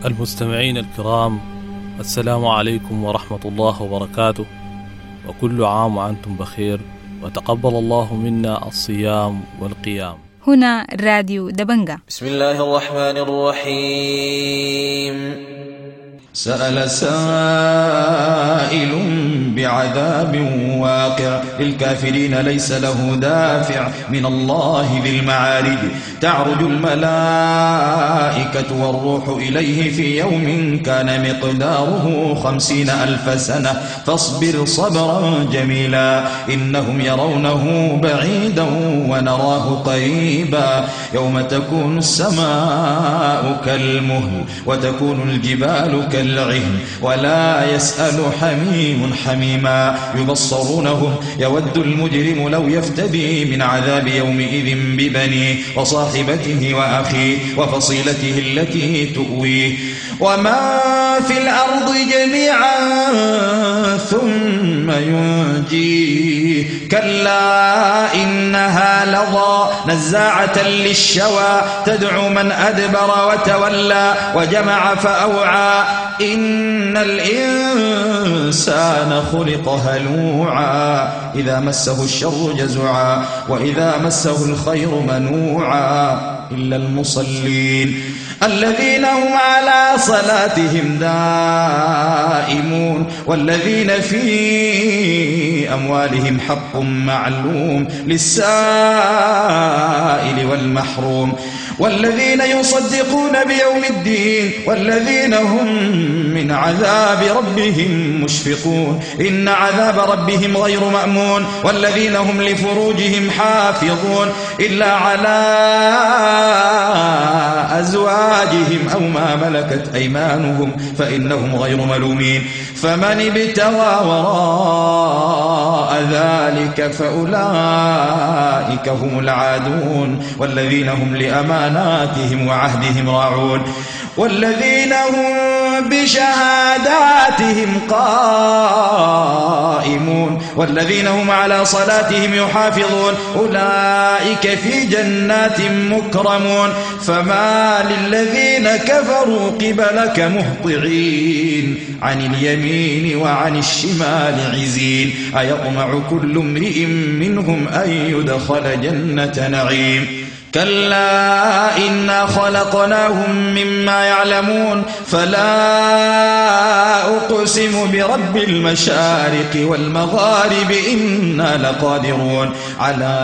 المستمعين الكرام، السلام عليكم ورحمة الله وبركاته، وكل عام وأنتم بخير، وتقبل الله منا الصيام والقيام. هنا راديو دبنجة. بسم الله الرحمن الرحيم. سأل سائل بعذاب واقع للكافرين ليس له دافع من الله ذي المعارج. تعرج الملائكة والروح إليه في يوم كان مقداره 50,000 سنة فاصبر صبرا جميلا إنهم يرونه بعيدا ونراه قريبا. يوم تكون السماء كالمهل وتكون الجبال كالعهن ولا يسأل حميم حميما. يبصرونهم يود المجرم لو يفتدي من عذاب يومئذ ببنيه وصاحبته وأخيه وفصيلته التي تؤويه وما في الأرض جميعا ثم ينجيه. كلا إنها لظى نزاعة للشوى تدعو من أدبر وتولى وجمع فأوعى. إن الإنسان خلق هلوعا إذا مسه الشر جزعا وإذا مسه الخير منوعا إلا المصلين الذين هم على صلاتهم دائمون والذين في أموالهم حق معلوم للسائل والمحروم والذين يصدقون بيوم الدين والذين هم من عذاب ربهم مشفقون. إن عذاب ربهم غير مأمون والذين هم لفروجهم حافظون إلا على أزواجهم أو ما ملكت أيمانهم فإنهم غير ملومين. فمن ابتغى وراء ذلك فأولئك هم العادون والذين هم لأماناتهم وعهدهم راعون والذين هم بشهاداتهم قائمون والذين هم على صلاتهم يحافظون. أولئك في جنات مكرمون. فما للذين كفروا قبلك مهطعين عن اليمين وعن الشمال عزين. أيطمع كل امرئ منهم أن يدخل جنة نعيم. كلا إنا خلقناهم مما يعلمون. فلا أقسم برب المشارق والمغارب إنا لقادرون على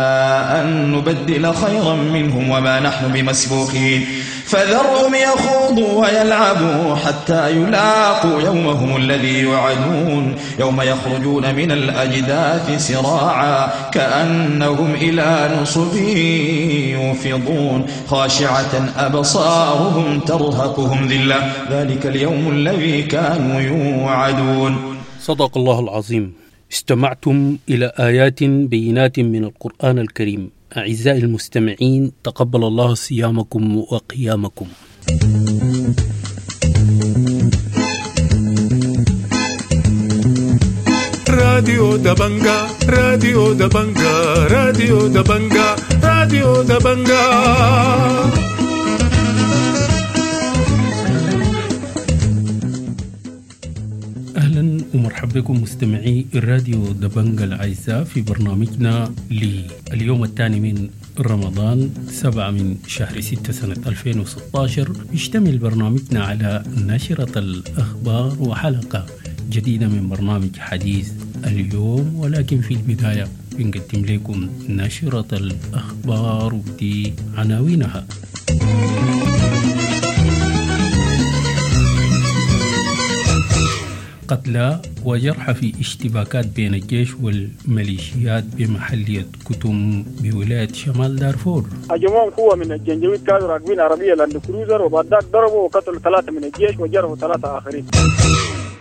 أن نبدل خيرا منهم وما نحن بمسبوقين. فذرهم يخوضوا ويلعبوا حتى يلاقوا يومهم الذي يوعدون. يوم يخرجون من الأجداث سراعا كأنهم إلى نصب يوفضون. خاشعة أبصارهم ترهقهم ذلة. ذلك اليوم الذي كانوا يوعدون. صدق الله العظيم. استمعتم إلى آيات بينات من القرآن الكريم. أعزائي المستمعين، تقبل الله صيامكم وقيامكم. راديو دبنجا، راديو دبنجا، راديو دبنجا، راديو دبنجا. أهلا ومرحبا بكم مستمعي الراديو دبنجا الأعزاء في برنامجنا لليوم الثاني من رمضان 7 من شهر 6 سنة 2016. يشتمل برنامجنا على نشرة الأخبار وحلقة جديدة من برنامج حديث اليوم، ولكن في البداية بنقدم لكم نشرة الأخبار ودي عناوينها. قتلى وجرحى في اشتباكات بين الجيش والميليشيات بمحلية كتم بولاية شمال دارفور. هجموهم قوة من الجنجويد، كانوا راكبين عربية لاند كروزر، وبعد ذاك ضربوا وقتلوا 3 من الجيش وجرحوا 3 آخرين.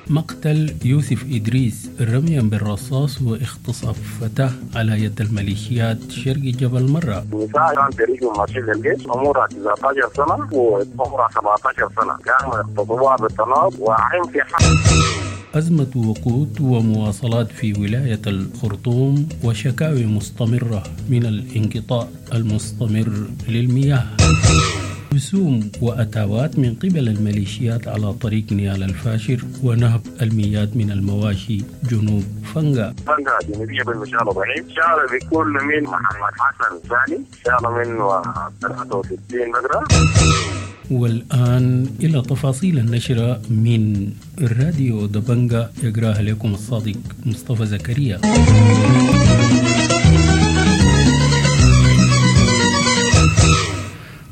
مقتل يوسف إدريس رميا بالرصاص واغتصاب فتاة على يد الميليشيات شرق جبل مرة. النساء كان تاريخهم ماشيين للجيش، عمرها 19 سنة وعمرها 17 سنة، كانوا يغتصبوها بالطناب وعين في حق. أزمة وقود ومواصلات في ولاية الخرطوم وشكاوي مستمرة من الانقطاع المستمر للمياه. رسوم وأتاوات من قبل الميليشيات على طريق نيال الفاشر ونهب المياه من المواشي جنوب فنغا. فنغا جنوبية بالمشارة ضعيف، شارع بيكون من محمد حسن ثاني، شارع من 63 بقرة. والآن إلى تفاصيل النشرة من راديو دبنجا، يقراها لكم الصادق مصطفى زكريا.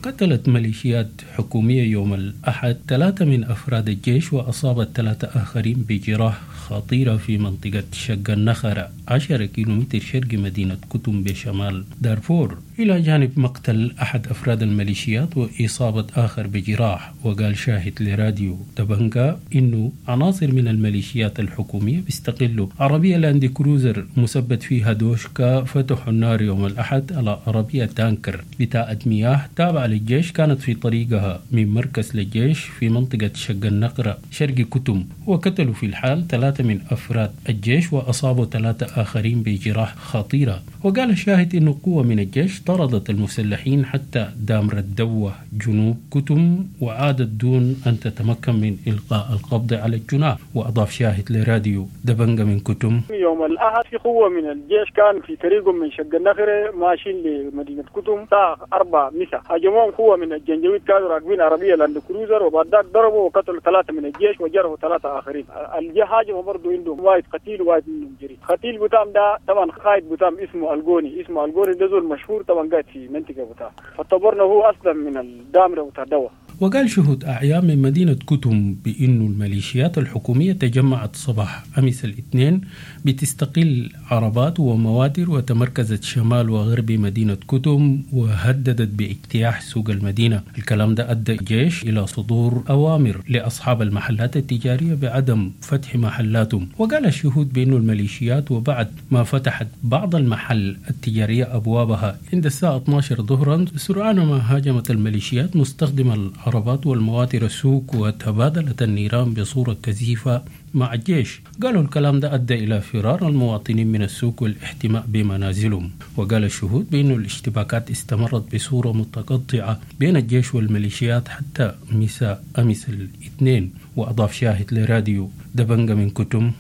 قتلت ميليشيات حكومية يوم الأحد 3 من أفراد الجيش وأصابت 3 آخرين بجراح خطيرة في منطقة شق النخرة 10 كيلومتر شرق مدينة كتم بشمال دارفور، إلى جانب مقتل أحد أفراد الميليشيات وإصابة آخر بجراح. وقال شاهد لراديو دبنجا إنه عناصر من الميليشيات الحكومية بيستغلوا عربية لاند كروزر مثبت فيها دوشكا فتحوا النار يوم الأحد على عربية تانكر بتاعة مياه تابعة للجيش كانت في طريقها من مركز للجيش في منطقة شق النقرة شرق كتم، وقتلوا في الحال 3 من أفراد الجيش وأصابوا 3 آخرين بجراح خطيرة. وقال الشاهد إنه قوة من الجيش طردت المسلحين حتى دامر الدوة جنوب كتم وعادت دون أن تتمكن من إلقاء القبض على الجناح. وأضاف شاهد لراديو دبنجا من كتم: يوم الأحد في قوة من الجيش كان في طريقهم من شق النخرة ماشيين لمدينة كتم الساعة 4 مساء، هاجموهم قوة من الجنجويد كانوا راكبين عربية لاند كروزر، وبعد ذاك ضربوا وقتلوا 3 من الجيش وجرحوا 3 آخرين. الجيش هاجموا برضه عندهم واحد قتيل وواحد منهم جريح. قتيل بتام ده طبعا قائد بتام اسمه الجوني، اسمه الجوني ده زول مشهور طبعا قاعد في منطقة بتاع، فاعتبرنا هو أصلا من الدامرة بتاع دوا. وقال شهود أعيان من مدينة كتم بأن الميليشيات الحكومية تجمعت صباح أمس الاثنين بتستقل عربات ومواتر وتمركزت شمال وغرب مدينة كتم وهددت باجتياح سوق المدينة. الكلام ده أدى الجيش إلى صدور أوامر لأصحاب المحلات التجارية بعدم فتح محلاتهم. وقال الشهود بأن الميليشيات وبعد ما فتحت بعض المحل التجارية أبوابها عند الساعة 12 ظهرا سرعان ما هاجمت الميليشيات مستخدمة العربات والمواتر السوق وتبادلت النيران بصورة كثيفة مع الجيش. قالوا الكلام ده أدى إلى فرار المواطنين من السوق والاحتماء بمنازلهم. وقال الشهود بأن الاشتباكات استمرت بصورة متقطعة بين الجيش والميليشيات حتى مساء أمس الاثنين. وأضاف شاهد لراديو دبنجا من كتم: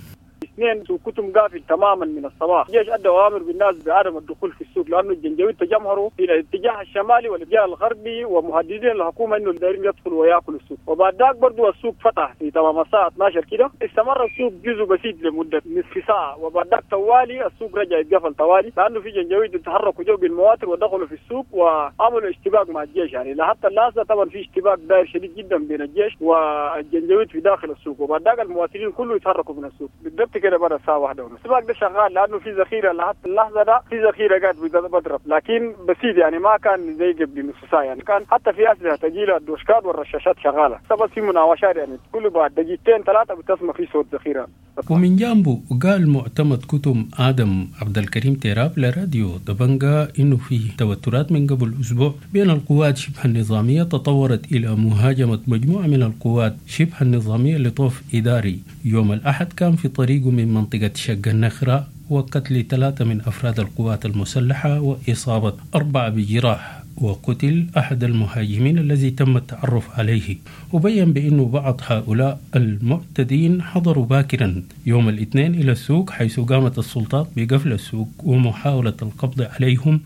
اثنين سوق كتم قافل تماما من الصباح، الجيش ادى اوامر بالناس بعدم الدخول في السوق لانه الجنجويد تجمهروا الى الاتجاه الشمالي والاتجاه الغربي ومهددين الحكومه انه دايرين يدخلوا وياكلوا السوق. وبعد ذاك برضه السوق فتح في تمام الساعه 12 كده، استمر السوق جزء بسيط لمده نصف ساعه، وبعد ذاك طوالي السوق رجع يتقفل طوالي لانه في جنجويد تحركوا جو بالمواتر ودخلوا في السوق وعملوا اشتباك مع الجيش. يعني لحتى اللحظه طبعا في اشتباك داير شديد جدا بين الجيش والجنجويد في داخل السوق، وبعد ذاك المواطنين كله يتحركوا من السوق بالضبط كده برا الساعة 1:30. السباق ده شغال لأنه في ذخيرة لحتى اللحظة ده، في ذخيرة قاعد بضرب لكن بسيط، يعني ما كان زي قبل نص ساعة، يعني كان حتى في أسلحة ثقيلة الدوشكات والرشاشات شغالة، بس في مناوشات يعني كل بعد دقيقتين 3 بتسمع في صوت ذخيرة. ومن جانبه قال معتمد كتم آدم عبد الكريم تيراب لراديو دبنجا إنه فيه توترات من قبل أسبوع بين القوات شبه النظامية تطورت إلى مهاجمة مجموعة من القوات شبه النظامية لطوف إداري يوم الأحد كان في طريقه من منطقة شق النخرة وقتل 3 من أفراد القوات المسلحة وإصابة 4 بجراح، وقتل أحد المهاجمين الذي تم التعرف عليه. وبين بأنه بعض هؤلاء المعتدين حضروا باكرا يوم الاثنين إلى السوق حيث قامت السلطات بقفل السوق ومحاولة القبض عليهم،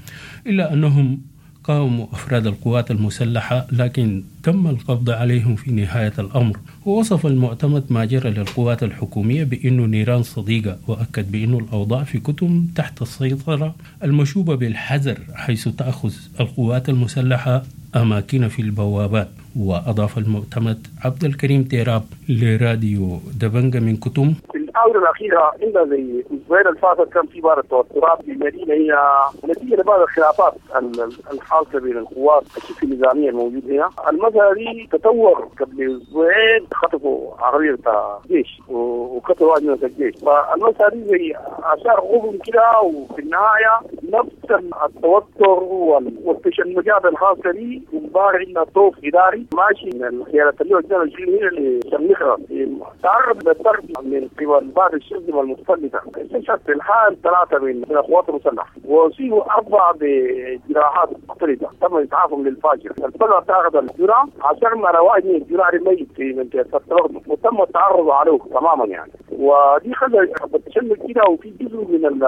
إلا أنهم قاوموا أفراد القوات المسلحة لكن تم القبض عليهم في نهاية الأمر. ووصف المعتمد ما جرى للقوات الحكومية بأنه نيران صديقة، وأكد بأنه الأوضاع في كتم تحت السيطرة المشوبة بالحذر حيث تأخذ القوات المسلحة أماكن في البوابات. وأضاف المعتمد عبد الكريم تيراب لراديو دبنجا من كتم: في الآونة الأخيرة عندنا زي الأسبوعين الفاتت كان في بعض التوترات في المدينة، هي نتيجة لبعض الخلافات الحاصلة بين القوات الشبه النظامية الموجودة هنا. المسألة دي تطور قبل أسبوعين، خطفوا عربية بتاع الجيش وقتلوا واحد من الجيش، فالمسألة دي زي آثار غبن كده، وفي النهاية نفس التوتر والتشنجات الخاصة دي. امبارح عندنا طوف اداري ماشي من خيارات اللي هو 22 هنا لشمخره، تعرض للضرب من قبل بعض الشرذمه المتفلته. استشهد في الحال 3 من القوات المسلحة واصيبوا 4 بجراحات مختلفة تم اسعافهم للفاجر. الفجر تعرض الجرعة عشان ما واحد من الجرعة الميت في منطقة التلغم وتم التعرض عليه تماما يعني، ودي خلى التشنج كده. وفي جزء من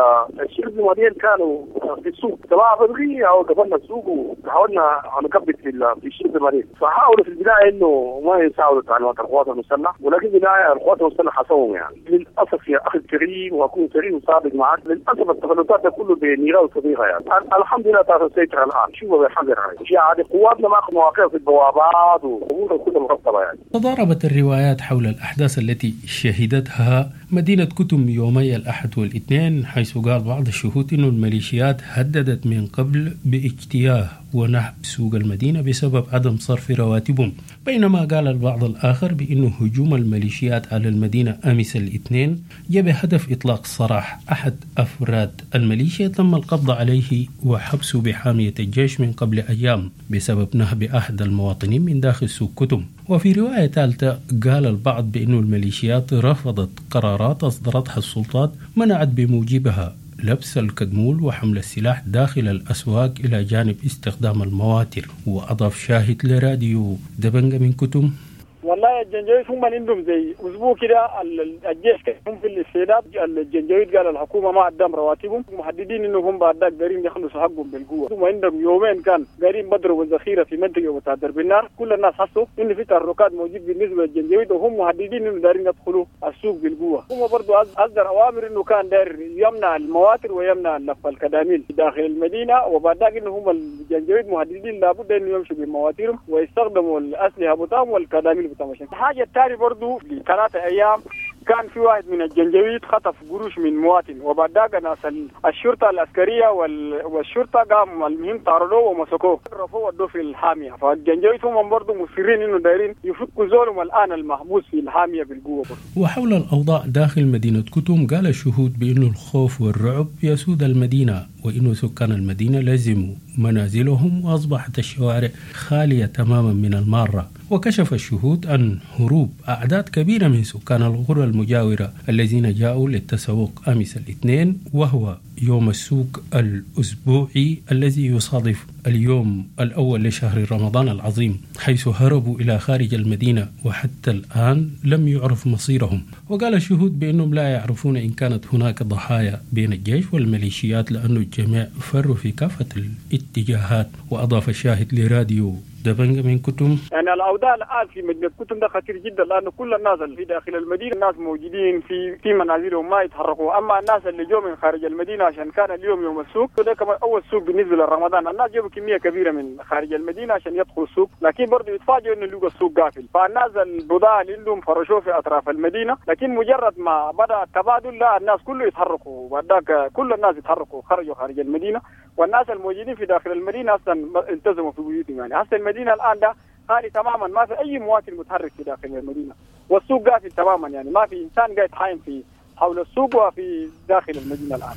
الشرذمه دي كانوا في السوق طلع بدري او قفلنا السوق وحاولنا نكبت في الشرذمه دي، فحاولوا في البداية انه ما يساعدوا تعليمات القوات المسلحة، ولكن في النهاية القوات المسلحة حصوهم يعني. للاسف يا اخي الكريم، واكون كريم وصادق معك، للاسف التفلتات كله بنيران صديقه يعني. الحمد لله تعرف السيطرة الان، شوفوا بالحذر يعني قواتنا ماخذ مواقع في البوابات وامورها كلها مرتبه يعني. تضاربت الروايات حول الاحداث التي شهدتها مدينة كتم يومي الأحد والاثنين، حيث قال بعض الشهود أن الميليشيات هددت من قبل باجتياه ونهب سوق المدينة بسبب عدم صرف رواتبهم، بينما قال البعض الآخر بأن هجوم الميليشيات على المدينة أمس الاثنين جاء بهدف إطلاق سراح أحد أفراد الميليشيا تم القبض عليه وحبسه بحامية الجيش من قبل أيام بسبب نهب أحد المواطنين من داخل سوق كتم. وفي رواية ثالثة قال البعض بأن الميليشيات رفضت قرارات أصدرتها السلطات منعت بموجبها لبس الكدمول وحمل السلاح داخل الأسواق إلى جانب استخدام المواتر. وأضاف شاهد لراديو دبنجة من كتم: والله الجنجويد هم عندهم زي اسبوع كده الجيش هم في الاستعداد. الجنجويد قال الحكومة ما قدام رواتبهم، محددين انه هم بعد ذاك قارين يخلصوا حقهم بالقوة. ثم عندهم يومين كان قارين بضربوا الذخيره في منطقة بتاع درب النار، كل الناس حسوا انه في تحركات موجود بالنسبة للجنجويد، وهم محددين انه دارين يدخلوا السوق بالقوة. هم برضه اصدر اوامر انه كان داير يمنع المواتر ويمنع لف الكداميل داخل المدينة، وبعد ذاك انه هم الجنجويد مهددين لابد انه يمشوا بمواترهم ويستخدموا الاسلحة بتاعهم والكداميل. الحاجة الثانية برضو ل3 أيام كان في واحد من الجنجويد خطف قروش من مواطن، وبعد ذاك ناس الشرطة العسكرية والشرطة قام المهم طاردوه ومسكوه رفعوه ودوه في الحامية. فالجنجويد هم برضو مصرين إنه دايرين يفكوا زولهم الآن المحبوس في الحامية بالقوة برضو. وحول الأوضاع داخل مدينة كتم قال الشهود بأنه الخوف والرعب يسود المدينة، وإنه سكان المدينة لزموا منازلهم وأصبحت الشوارع خالية تماما من المارة. وكشف الشهود عن هروب أعداد كبيرة من سكان القرى المجاورة الذين جاءوا للتسوق أمس الاثنين، وهو يوم السوق الأسبوعي الذي يصادف اليوم الأول لشهر رمضان العظيم، حيث هربوا إلى خارج المدينة وحتى الآن لم يعرف مصيرهم. وقال الشهود بأنهم لا يعرفون إن كانت هناك ضحايا بين الجيش والميليشيات لأن الجميع فروا في كافة الاتجاهات. وأضاف الشاهد لراديو دبنجة من كتم: يعني الأوضاع الآن في مدينة كتم ده خطير جدا، لأنه كل الناس اللي في داخل المدينة الناس موجودين في منازلهم ما يتحركوا، أما الناس اللي جو من خارج المدينة عشان كان اليوم يوم السوق وده كمان أول سوق بالنسبة لرمضان، الناس جابوا كمية كبيرة من خارج المدينة عشان يدخلوا السوق، لكن برضه يتفاجئوا إنه لقوا السوق قافل. فالناس البضاعة اللي عندهم فرشوه في أطراف المدينة، لكن مجرد ما بدأ التبادل لا الناس كله يتحركوا، وبعد كل الناس يتحركوا خرجوا خارج المدينة، والناس الموجودين في داخل المدينة أصلا التزموا في بيوتهم. يعني هسه المدينة الآن ده خالي تماما، ما في أي مواطن متحرك في داخل المدينة، والسوق قافل تماما، يعني ما في إنسان قاعد حايم في حول السوق وفي داخل المدينة الآن.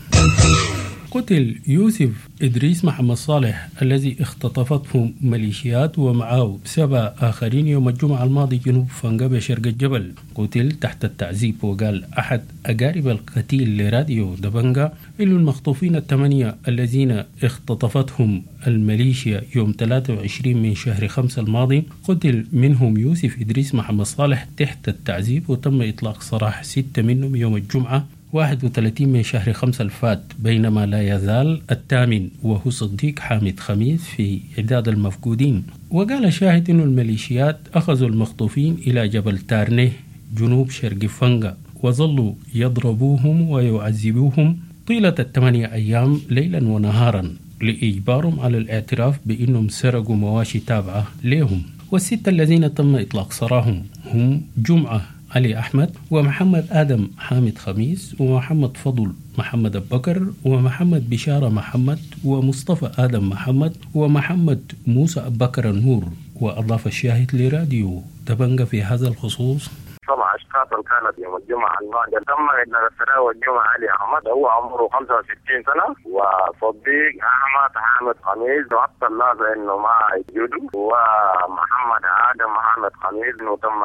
قتل يوسف إدريس محمد صالح الذي اختطفته ميليشيات ومعه 7 آخرين يوم الجمعة الماضي جنوب فنجا بشرق الجبل، قتل تحت التعذيب. وقال أحد أقارب القتيل لراديو دبنجا إن المخطوفين 8 الذين اختطفتهم الميليشيا يوم 23 من شهر 5 الماضي قتل منهم يوسف إدريس محمد صالح تحت التعذيب، وتم إطلاق سراح 6 منهم يوم الجمعة 31 من شهر 5 الفات، بينما لا يزال الثامن وهو صديق حامد خميس في عداد المفقودين. وقال شاهد أن الميليشيات أخذوا المخطوفين إلى جبل تارنيه جنوب شرق فنجا وظلوا يضربوهم ويعذبوهم طيلة 8 أيام ليلا ونهارا لإجبارهم على الاعتراف بأنهم سرقوا مواشي تابعة لهم. وال6 الذين تم إطلاق سراهم هم جمعة علي أحمد ومحمد آدم حامد خميس ومحمد فضل محمد أبكر ومحمد بشارة محمد ومصطفى آدم محمد ومحمد موسى أبكر النور. وأضاف الشاهد لراديو دبنجة في هذا الخصوص: طبعا الاشخاص اللي كانت يوم الجمعة الماضية. تم اطلاق السراح الجمعة علي احمد، هو عمره 65 سنة، وصديق احمد حامد خميس وحتى اللحظة انه ما يوجد، ومحمد ادم محمد خميس انه تم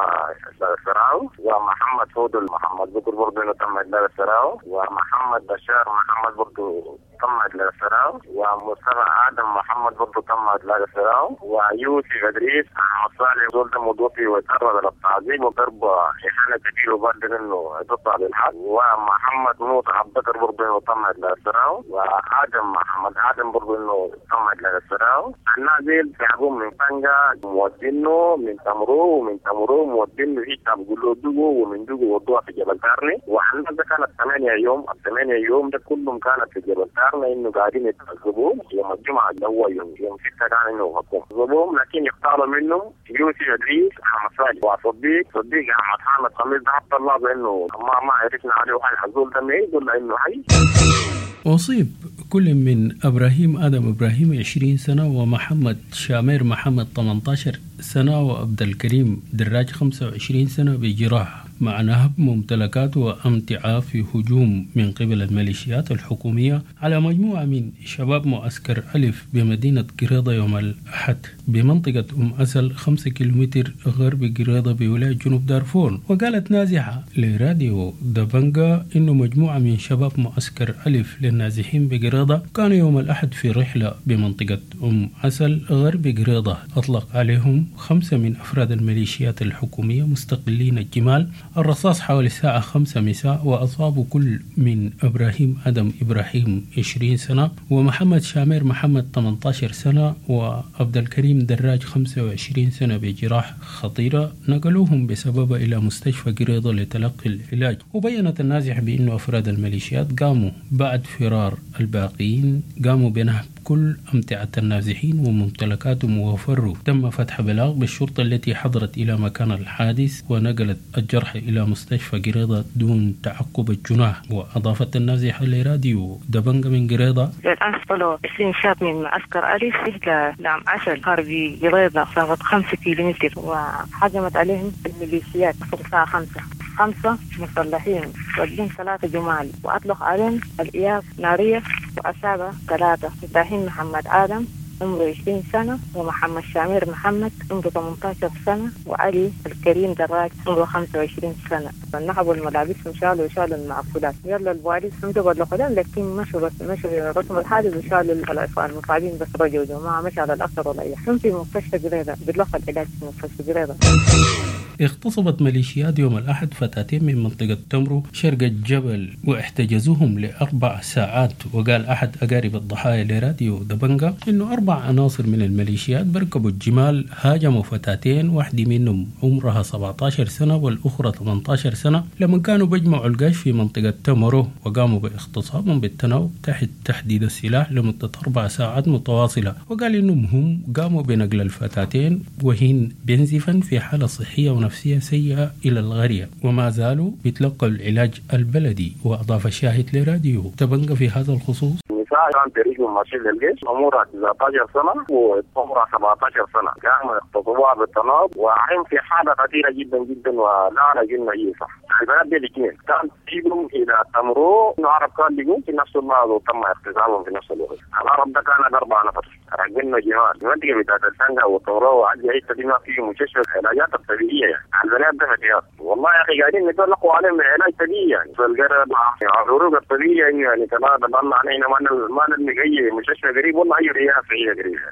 اطلاق السراح، ومحمد فودل محمد بكر برضه انه تم اطلاق السراح، ومحمد بشار محمد برضه تم اطلاق السراح، ومصطفى ادم محمد برضه تم اطلاق السراح، ويوسف ادريس احمد صالح زول ده متوفي وتعرض للتعذيب وضرب اهانه كبيرة وبعد انه تطلع بالحق، ومحمد موسى عبد بكر برضه انه تم اطلاق السراح، وادم محمد ادم برضه انه تم اطلاق السراح. الناس ديل سحبوهم من طنجة مودينه من تمرو، ومن تمرو مودينه هيك بيقولوا دقو، ومن دقو ودوها في جبل تارني. والناس ده كانت 8 يوم، ال 8 يوم ده كلهم كانت في جبل تارني انه قاعدين يتعذبوهم. يوم الجمعة اللي هو يوم 6 كان انه حكم لكن يختاروا منهم يوسف ادريس احمد صالح وصديق صديق احمد حامد خميس. حتى الله انه ما عرفنا عليه حي حزول ده ما يقول انه حي. أصيب كل من إبراهيم آدم إبراهيم 20 سنة، ومحمد شامير محمد 18 سنة، وعبد الكريم دراج 25 سنة بجراح مع نهب ممتلكات وأمتعة في هجوم من قبل الميليشيات الحكومية على مجموعة من شباب معسكر ألف بمدينة قريضة يوم الأحد بمنطقة أم أسل 5 كيلومتر غرب قريضة بولاية جنوب دارفور. وقالت نازحة لراديو دبنجا إنه مجموعة من شباب معسكر ألف للنازحين بقريضة كانوا يوم الأحد في رحلة بمنطقة أم أسل غرب قريضة، أطلق عليهم 5 من أفراد الميليشيات الحكومية مستقلين الجمال الرصاص حوالي الساعة 5 مساء، وأصابوا كل من إبراهيم أدم إبراهيم 20 سنة، ومحمد شامير محمد 18 سنة، وعبد الكريم دراج 25 سنة بجراح خطيرة، نقلوهم بسببها إلى مستشفى قريضة لتلقي العلاج. وبينت النازح بأن أفراد الميليشيات قاموا بعد فرار الباقيين قاموا بنهب كل أمتعة النازحين وممتلكاتهم وفروا. تم فتح بلاغ بالشرطة التي حضرت إلى مكان الحادث ونقلت الجرح إلى مستشفى قريضة دون تعقب الجناح. وأضافت النازحة لراديو دبنجة من قريضة: الآن طلعوا 20 شاب من معسكر ألف إلى نعم عسل غربي قريضة مسافة 5 كيلومتر، وهجمت عليهم الميليشيات الساعة 5، 5 مسلحين واجين 3 جمال، وأطلق عليهم الإياس نارية وأصاب 3: إبراهيم محمد آدم عمره 20 سنة، ومحمد شامير محمد عمره 18 سنة، وعلي الكريم دراج عمره 25 سنة. نهبوا الملابس وشالوا المعقولات. يلا البواليس هم بلغوا لهم، لكن مشوا بس مشوا رسم الحادث وشالوا المصابين بس رجعوا ما مشى على الأثر ولا أي. هم في مستشفى قريضة بيتلقى العلاج في مستشفى قريضة. اغتصبت ميليشيات يوم الأحد فتاتين من منطقة تمرو شرق الجبل واحتجزوهم ل4 ساعات. وقال أحد أقارب الضحايا لراديو دبنجا إنه 4 عناصر من الميليشيات بركبوا الجمال هاجموا فتاتين، واحدة منهم عمرها 17 سنة والأخرى 18 سنة، لما كانوا بيجمعوا القش في منطقة تمرو، وقاموا باغتصابهم بالتناوب تحت تحديد السلاح لمدة 4 ساعات متواصلة. وقال إنهم هم قاموا بنقل الفتاتين وهن بنزفا في حالة صحية ونفسية سيئة إلى الغرية، وما زالوا بيتلقوا العلاج البلدي. وأضاف الشاهد لراديو تبنغ في هذا الخصوص: النساء كان تاريخهم ماشي للجيش، عمرها 19 سنة وعمرها 17 سنة، كانوا يغتصبوها بالتناوب وعين في حالة خطيرة جدا جدا ولا نجم أي صح. البنات دي الاثنين كان تجيبهم إلى تمرو، إنه عرب كان بيجون في نفس اللحظة وتم اغتصابهم في نفس الوقت. العرب ده كان 4 نفر راكبين جمال المنطقة بتاعت السنجة والتمرو وعندي أي ما فيه مستشفى العلاجات الطبيعية يعني. البنات ده فتيات والله يا أخي قاعدين نتلقوا عليهم علاج طبيعي يعني في القرب العروق الطبيعية يعني كمان ضلنا علينا ما نلقى أي مستشفى قريب والله أي رياض صحية قريبة.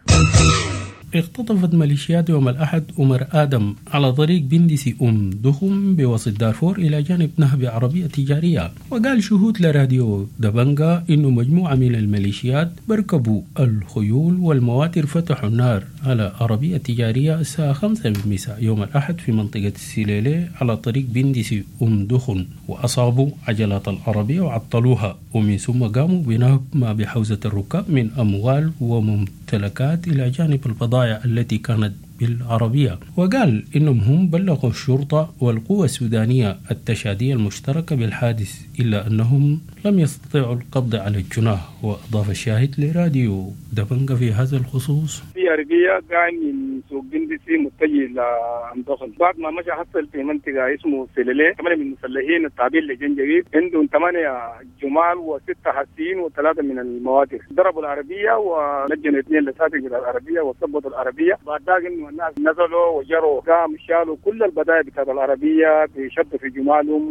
اختطفت ميليشيات يوم الأحد عمر آدم على طريق بندسي أم دخم بوسط دارفور إلى جانب نهب عربية تجارية. وقال شهود لراديو دبنجا إنه مجموعة من الميليشيات بركبوا الخيول والمواتر فتحوا النار على عربية تجارية الساعة 5 مساء يوم الأحد في منطقة السليلة على طريق بندسي أم دخن، وأصابوا عجلات العربية وعطلوها، ومن ثم قاموا بنهب ما بحوزة الركاب من أموال وممتلكات إلى جانب البضائع التي كانت بالعربية. وقال إنهم هم بلغوا الشرطة والقوى السودانية التشادية المشتركة بالحادث، إلا أنهم لم يستطيعوا القبض على الجناه. وأضاف الشاهد لراديو دبنجة في هذا الخصوص. في عربية قاعد من سوق بندسي متجه لأمدخل، بعد ما مشى حصل في منطقة اسمه سلاليه 8 من المسلحين التابعين لجنجويد، عندهم 8 جمال و6 حسين و3 من المواتر، ضربوا العربية ولجنوا 2 لساتك من العربية وثبتوا العربية. بعد ذاك انه الناس نزلوا وجروا قام شالوا كل البدائع بتاعت العربية بيشدوا في جمالهم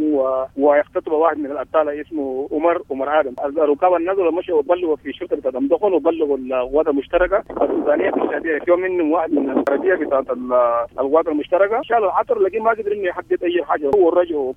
ويختطفوا واحد من الأبطال اسمه عمر آدم. الركاب نزلوا مشوا وبلغوا في الشرطة بتاعت أمدخل وبلغوا القوات المشتركة السودانية في الشعبية. يوم منهم واحد من العربية بتاعت القوات المشتركة شالوا العطر، لكن ما قدر انه يحدد اي حاجة ورجعوا.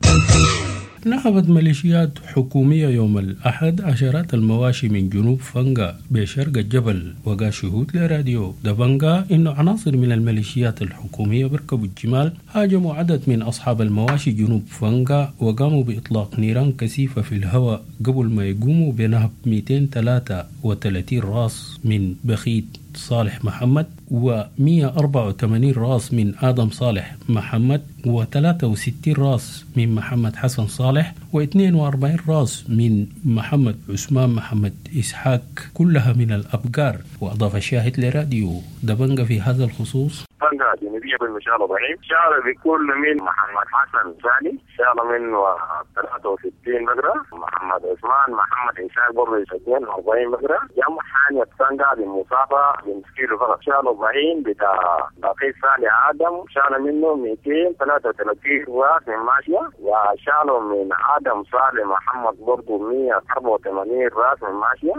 نهبت ميليشيات حكومية يوم الأحد عشرات المواشي من جنوب فنجا بشرق الجبل. وقال شهود لراديو دبنجا إنه عناصر من الميليشيات الحكومية بركبوا الجمال هاجموا عدد من أصحاب المواشي جنوب فنجا وقاموا بإطلاق نيران كثيفة في الهواء قبل ما يقوموا بنهب 233 راس من بخيت صالح محمد و184 راس من آدم صالح محمد و63 راس من محمد حسن صالح و42 راس من محمد عثمان محمد إسحاق، كلها من الأبقار. وأضاف الشاهد لراديو دبنجة في هذا الخصوص: فنجا جنوبية بالمشالة ضعيف شال بكل من محمد حسن ثاني، شال منه 63 بقرة، محمد عثمان محمد إسحاق برضه 42 بقرة، جمع حانية فنجا بمسافة من كيلو فقط، شالوا 40 بتاع بقي ثاني آدم، شال منه 233 راس من ماشية، وشالوا من آدم صالح محمد برضه 184 راس من ماشية.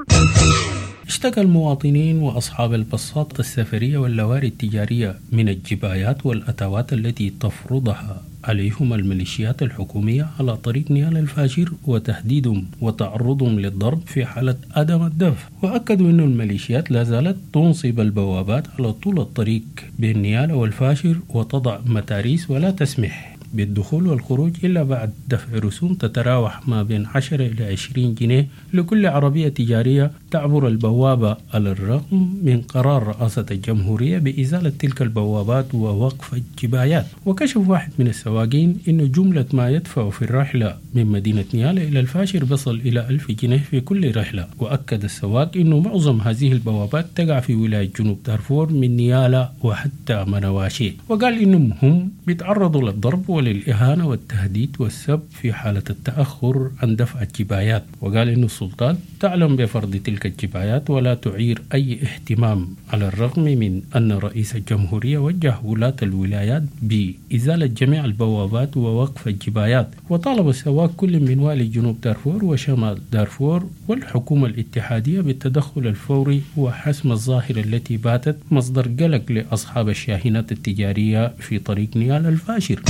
اشتكى المواطنين وأصحاب الباصات السفرية واللواري التجارية من الجبايات والأتوات التي تفرضها عليهم الميليشيات الحكومية على طريق نيال الفاشر وتهديدهم وتعرضهم للضرب في حالة عدم الدفع. وأكدوا أن الميليشيات لا زالت تنصب البوابات على طول الطريق بين نيال والفاشر وتضع متاريس ولا تسمح بالدخول والخروج إلا بعد دفع رسوم تتراوح ما بين 10 إلى 20 جنيه لكل عربية تجارية تعبر البوابة، على الرغم من قرار رئاسة الجمهورية بإزالة تلك البوابات ووقف الجبايات. وكشف واحد من السواقين أن جملة ما يدفع في الرحلة من مدينة نيالا إلى الفاشر بصل إلى 1000 جنيه في كل رحلة. وأكد السواق أنه معظم هذه البوابات تقع في ولاية جنوب دارفور من نيالا وحتى منواشي. وقال إنهم هم بيتعرضوا للضرب وللإهانة والتهديد والسب في حالة التأخر عن دفع الجبايات. وقال إن السلطات تعلم بفرض تلك الجبايات ولا تعير أي اهتمام، على الرغم من أن رئيس الجمهورية وجه ولاة الولايات بإزالة جميع البوابات ووقف الجبايات. وطالب السواق كل من والي جنوب دارفور وشمال دارفور والحكومة الاتحادية بالتدخل الفوري وحسم الظاهرة التي باتت مصدر قلق لأصحاب الشاحنات التجارية في طريق نيال الفاشر.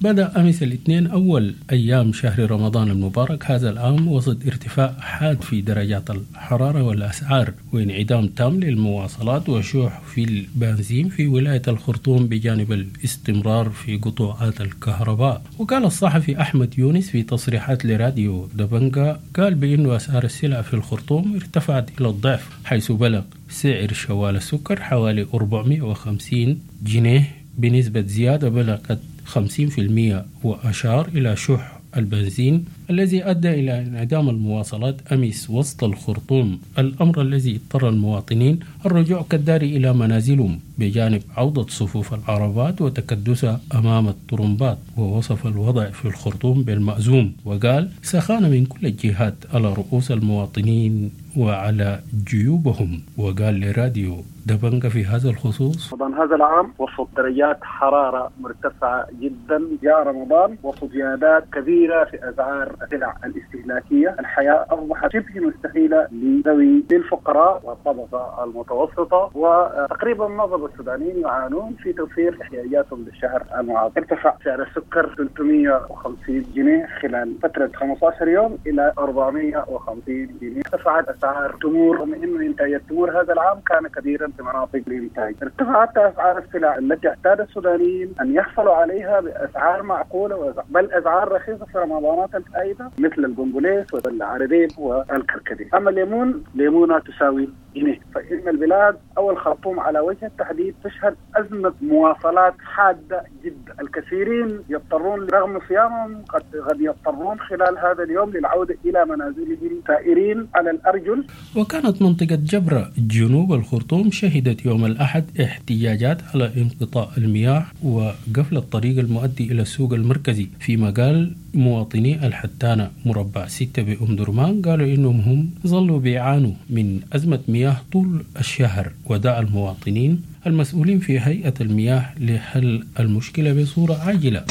بدأ أمس الاثنين أول أيام شهر رمضان المبارك هذا العام وسط ارتفاع حاد في درجات الحرارة والأسعار وانعدام تام للمواصلات وشح في البنزين في ولاية الخرطوم بجانب الاستمرار في قطوعات الكهرباء. وقال الصحفي أحمد يونس في تصريحات لراديو دبنجا قال بأن أسعار السلع في الخرطوم ارتفعت إلى الضعف، حيث بلغ سعر شوال السكر حوالي 450 جنيه بنسبة زيادة بلغت 50%، وأشار إلى شح البنزين الذي أدى إلى انعدام المواصلات أمس وسط الخرطوم، الأمر الذي اضطر المواطنين الرجوع كالدار إلى منازلهم بجانب عودة صفوف العربات وتكدسها أمام الطرمبات. ووصف الوضع في الخرطوم بالمأزوم وقال سخانة من كل الجهات على رؤوس المواطنين وعلى جيوبهم. وقال لراديو دبنجا في هذا الخصوص: رمضان هذا العام وسط درجات حرارة مرتفعة جدا، جاء رمضان وسط زيادات كبيرة في أسعار السلع الاستهلاكية، الحياة أصبحت شبه مستحيلة لذوي للفقراء والطبقة المتوسطة، وتقريبا معظم السودانيين يعانون في توفير احتياجاتهم للشهر المعاصر. ارتفع سعر السكر 350 جنيه خلال فترة 15 يوم إلى 450 جنيه. ارتفعت أسعار التمور رغم أنه إنتاج التمور هذا العام كان كبيرا في مناطق الإنتاج. ارتفعت أسعار السلع التي اعتاد السودانيين أن يحصلوا عليها بأسعار معقولة بل أسعار رخيصة في رمضانات الفائتة مثل البنجوليس والعربيب والكركديه. أما الليمون ليمونة تساوي جنيه. فإن البلاد أو الخرطوم على وجه التحديد بالتحديد تشهد أزمة مواصلات حادة جدا. الكثيرين يضطرون رغم صيامهم قد يضطرون خلال هذا اليوم للعودة إلى منازلهم سائرين على الأرجل. وكانت منطقة جبرة جنوب الخرطوم شهدت يوم الأحد احتجاجات على انقطاع المياه وقفل الطريق المؤدي إلى السوق المركزي، فيما قال مواطني الحتانة مربع 6 بأم درمان قالوا إنهم هم ظلوا بيعانوا من أزمة مياه طول الشهر، ودعا المواطنين المسؤولين في هيئة المياه لحل المشكلة بصورة عاجلة.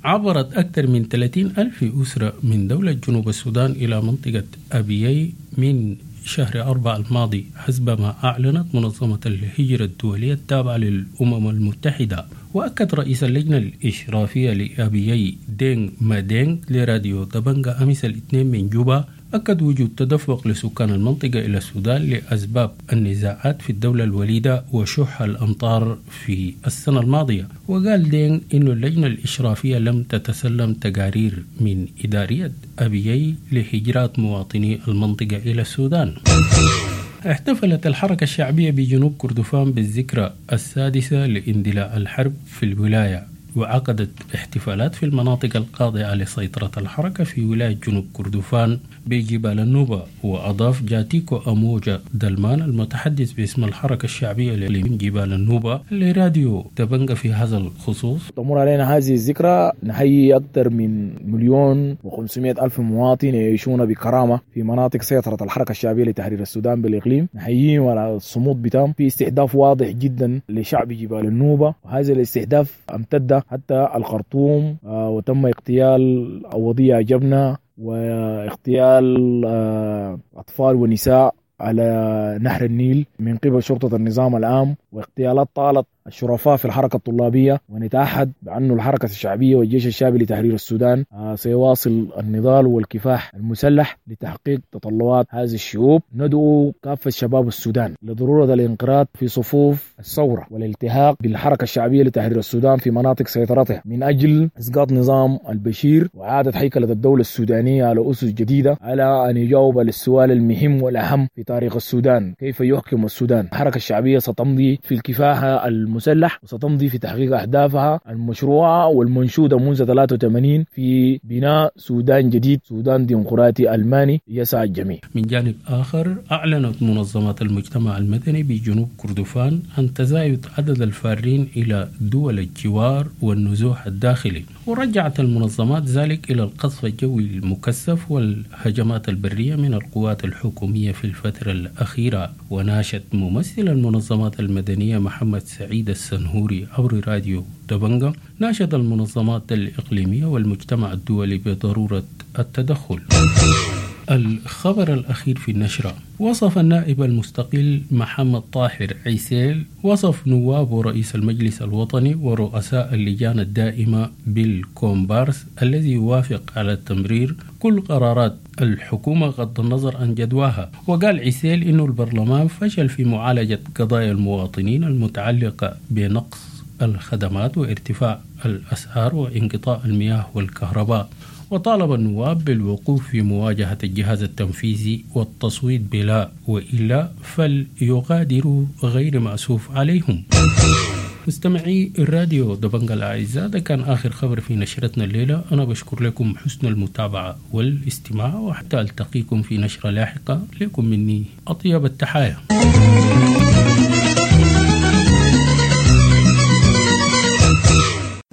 عبرت أكثر من 30 ألف أسرة من دولة جنوب السودان إلى منطقة أبيي من شهر 4 الماضي حسب ما أعلنت منظمة الهجرة الدولية التابعة للأمم المتحدة. وأكد رئيس اللجنة الإشرافية لأبيي دينغ مادينغ لراديو دبنجا أمس الاثنين من جوبا أكد وجود تدفق لسكان المنطقة إلى السودان لأسباب النزاعات في الدولة الوليدة وشح الأمطار في السنة الماضية. وقال دينغ إن اللجنة الإشرافية لم تتسلم تقارير من إدارية أبيي لهجرات مواطني المنطقة إلى السودان. احتفلت الحركة الشعبية بجنوب كردفان بالذكرى السادسة لاندلاع الحرب في الولاية، وعقدت احتفالات في المناطق الخاضعة لسيطرة الحركة في ولاية جنوب كردفان بجبال النوبة. وأضاف جاتيكو أموجا دلمان المتحدث باسم الحركة الشعبية لجبال النوبة لراديو دبنجا في هذا الخصوص: تمر علينا هذه الذكرى نحيي أكثر من 1,500,000 مواطن يعيشون بكرامة في مناطق سيطرة الحركة الشعبية لتحرير السودان بالإقليم، نحييهم على الصمود بتاعهم في استهداف واضح جدا لشعب جبال النوبة، وهذا الاستهداف امتد حتى الخرطوم، وتم اغتيال أوضية جبنة واغتيال أطفال ونساء على نهر النيل من قبل شرطة النظام العام، واغتيالات طالت الشرفاء في الحركة الطلابية. ونتعهد بأن الحركة الشعبية والجيش الشعبي لتحرير السودان سيواصل النضال والكفاح المسلح لتحقيق تطلعات هذه الشعوب. ندعو كافة شباب السودان لضرورة الانخراط في صفوف الثورة والالتحاق بالحركة الشعبية لتحرير السودان في مناطق سيطرتها من أجل إسقاط نظام البشير وإعادة هيكلة الدولة السودانية على أسس جديدة، على أن يجاوب للسؤال المهم والأهم في تاريخ السودان: كيف يحكم السودان؟ الحركة الشعبية ستمضي في الكفاح المسلح وستمضي في تحقيق أهدافها المشروعة والمنشودة منذ 83 في بناء سودان جديد، سودان ديمقراطي ألماني يسعى الجميع. من جانب آخر، أعلنت منظمات المجتمع المدني بجنوب كردفان عن تزايد عدد الفارين إلى دول الجوار والنزوح الداخلي، ورجعت المنظمات ذلك إلى القصف الجوي المكثف والهجمات البرية من القوات الحكومية في الفترة الأخيرة. وناشد ممثل المنظمات المدنية محمد سعيد السنهوري عبر راديو دبنجا ناشد المنظمات الإقليمية والمجتمع الدولي بضرورة التدخل. الخبر الأخير في النشرة: وصف النائب المستقل محمد طاهر عيسيل وصف نواب رئيس المجلس الوطني ورؤساء اللجان الدائمة بالكومبارس الذي يوافق على تمرير كل قرارات الحكومة غض النظر عن جدواها. وقال عيسيل إنه البرلمان فشل في معالجة قضايا المواطنين المتعلقة بنقص الخدمات وارتفاع الأسعار وانقطاع المياه والكهرباء، وطالب النواب بالوقوف في مواجهة الجهاز التنفيذي والتصويت بلا، وإلا فليغادروا غير مأسوف عليهم. مستمعي الراديو دبنجا الأعزاء، ده كان آخر خبر في نشرتنا الليلة. أنا بشكر لكم حسن المتابعة والاستماع، وحتى ألتقيكم في نشرة لاحقة. لكم مني أطيب التحايا.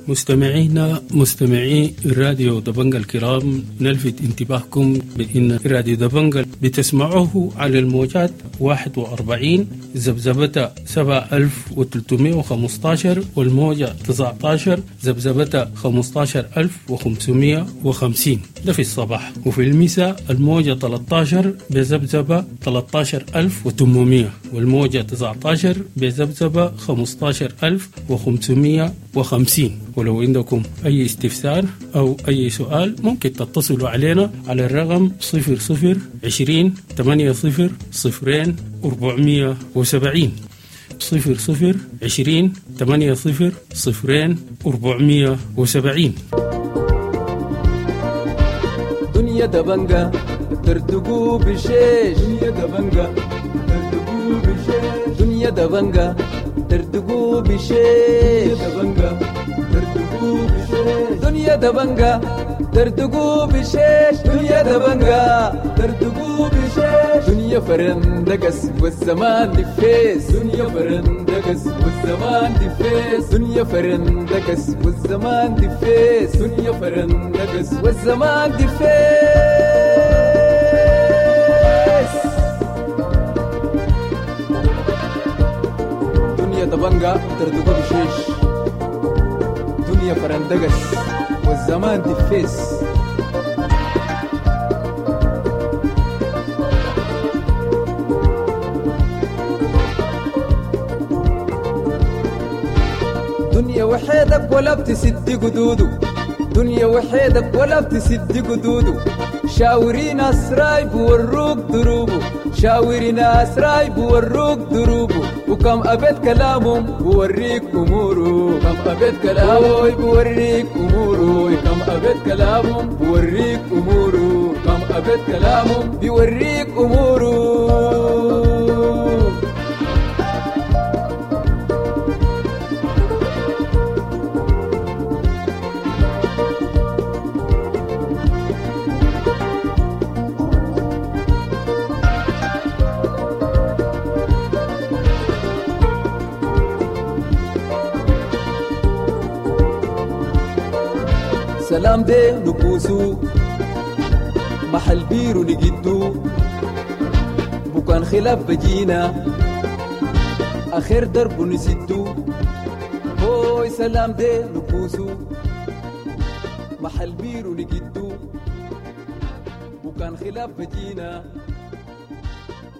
مستمعينا مستمعي الراديو دبنجا الكرام، نلفت انتباهكم بأن راديو دبنجا بتسمعوه على الموجات 41 ذبذبة 7315 والموجة 19 ذبذبة 15550، ده في الصباح، وفي المساء الموجة 13 بذبذبة 13800 والموجة 19 بذبذبة 15550. ولو عندكم أي استفسار أو أي سؤال ممكن تتصلوا علينا على الرقم 00 20 80 0 470، 00 20 80 0 470. دنيا دبنجا ترتقو بشيش، دنيا دبنجا ترتقو بشيش، دنيا دبنجا دردقو بشيش دبنجا دردقو بشيش دنيا دبنجا دردقو بشيش دنيا دبنجا دردقو بشيش دنيا فرندقس والزمان دفيس دنيا فرندقس والزمان دفيس دنيا فرندقس والزمان دفيس دنيا فرندقس والزمان دفيس دنيا دبنجا دردقو بشيش دنيا فرندقس والزمان دفيس. دنيا وحيدك ولا بتسد قدوده، دنيا وحيدك ولا بتسد قدوده، شاوري ناس رايب وروك دروبه، شاوري ناس رايب وروك دروبه، وكم أبيت كلامهم بوريك أموره، كم أبيت كلامه بوريك أموره، كم أبيت كلامهم بوريك أموره، كم أبيت كلامهم بيوريك أموره. سلام دي نكوسو محل بيرو نجدو، بكان خلاف بجينا آخر درب نسدو، هوي سلام دي نكوسو محل بيرو نجدو، بكان خلاف بجينا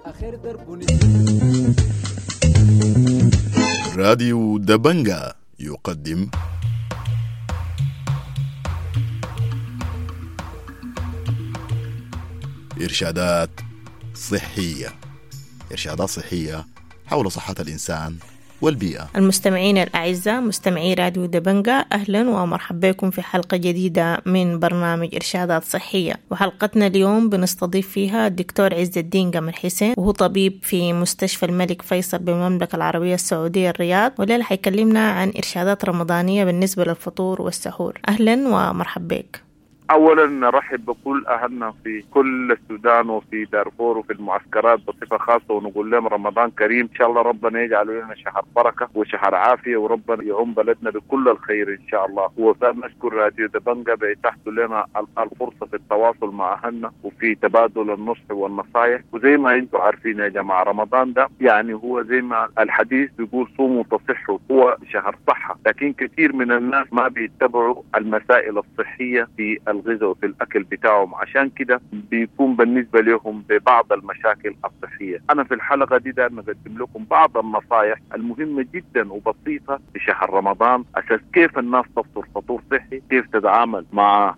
آخر درب نسدو. راديو دبنجا يقدم إرشادات صحية. إرشادات صحية حول صحة الإنسان والبيئة. المستمعين الأعزاء مستمعي راديو دبنجا، أهلا ومرحبا بكم في حلقة جديدة من برنامج إرشادات صحية. وحلقتنا اليوم بنستضيف فيها الدكتور عز الدين قمر حسين، وهو طبيب في مستشفى الملك فيصل بالمملكة العربية السعودية الرياض، والليلة حيكلمنا عن إرشادات رمضانية بالنسبة للفطور والسحور. أهلا ومرحبا بك. أولا نرحب بكل أهلنا في كل السودان وفي دارفور وفي المعسكرات بصفة خاصة، ونقول لهم رمضان كريم إن شاء الله. ربنا يجعل لنا شهر بركة وشهر عافية، وربنا يعم بلدنا بكل الخير إن شاء الله. ونشكر راديو دبنجا بإتاحته لنا الفرصة في التواصل مع أهلنا وفي تبادل النصح والنصائح. وزي ما أنتم عارفين يا جماعة، رمضان ده يعني هو زي ما الحديث بيقول صوموا تصحوا، هو شهر صحة، لكن كثير من الناس ما بيتبعوا المسائل الصحية في الغذاء وفي الأكل بتاعهم، عشان كده بيكون بالنسبة لهم ببعض المشاكل الصحية. أنا في الحلقة دي دائما أقدم لكم بعض النصائح المهمة جدا وبسيطة في شهر رمضان، أساس كيف الناس تفطر فطور صحي، كيف تتعامل مع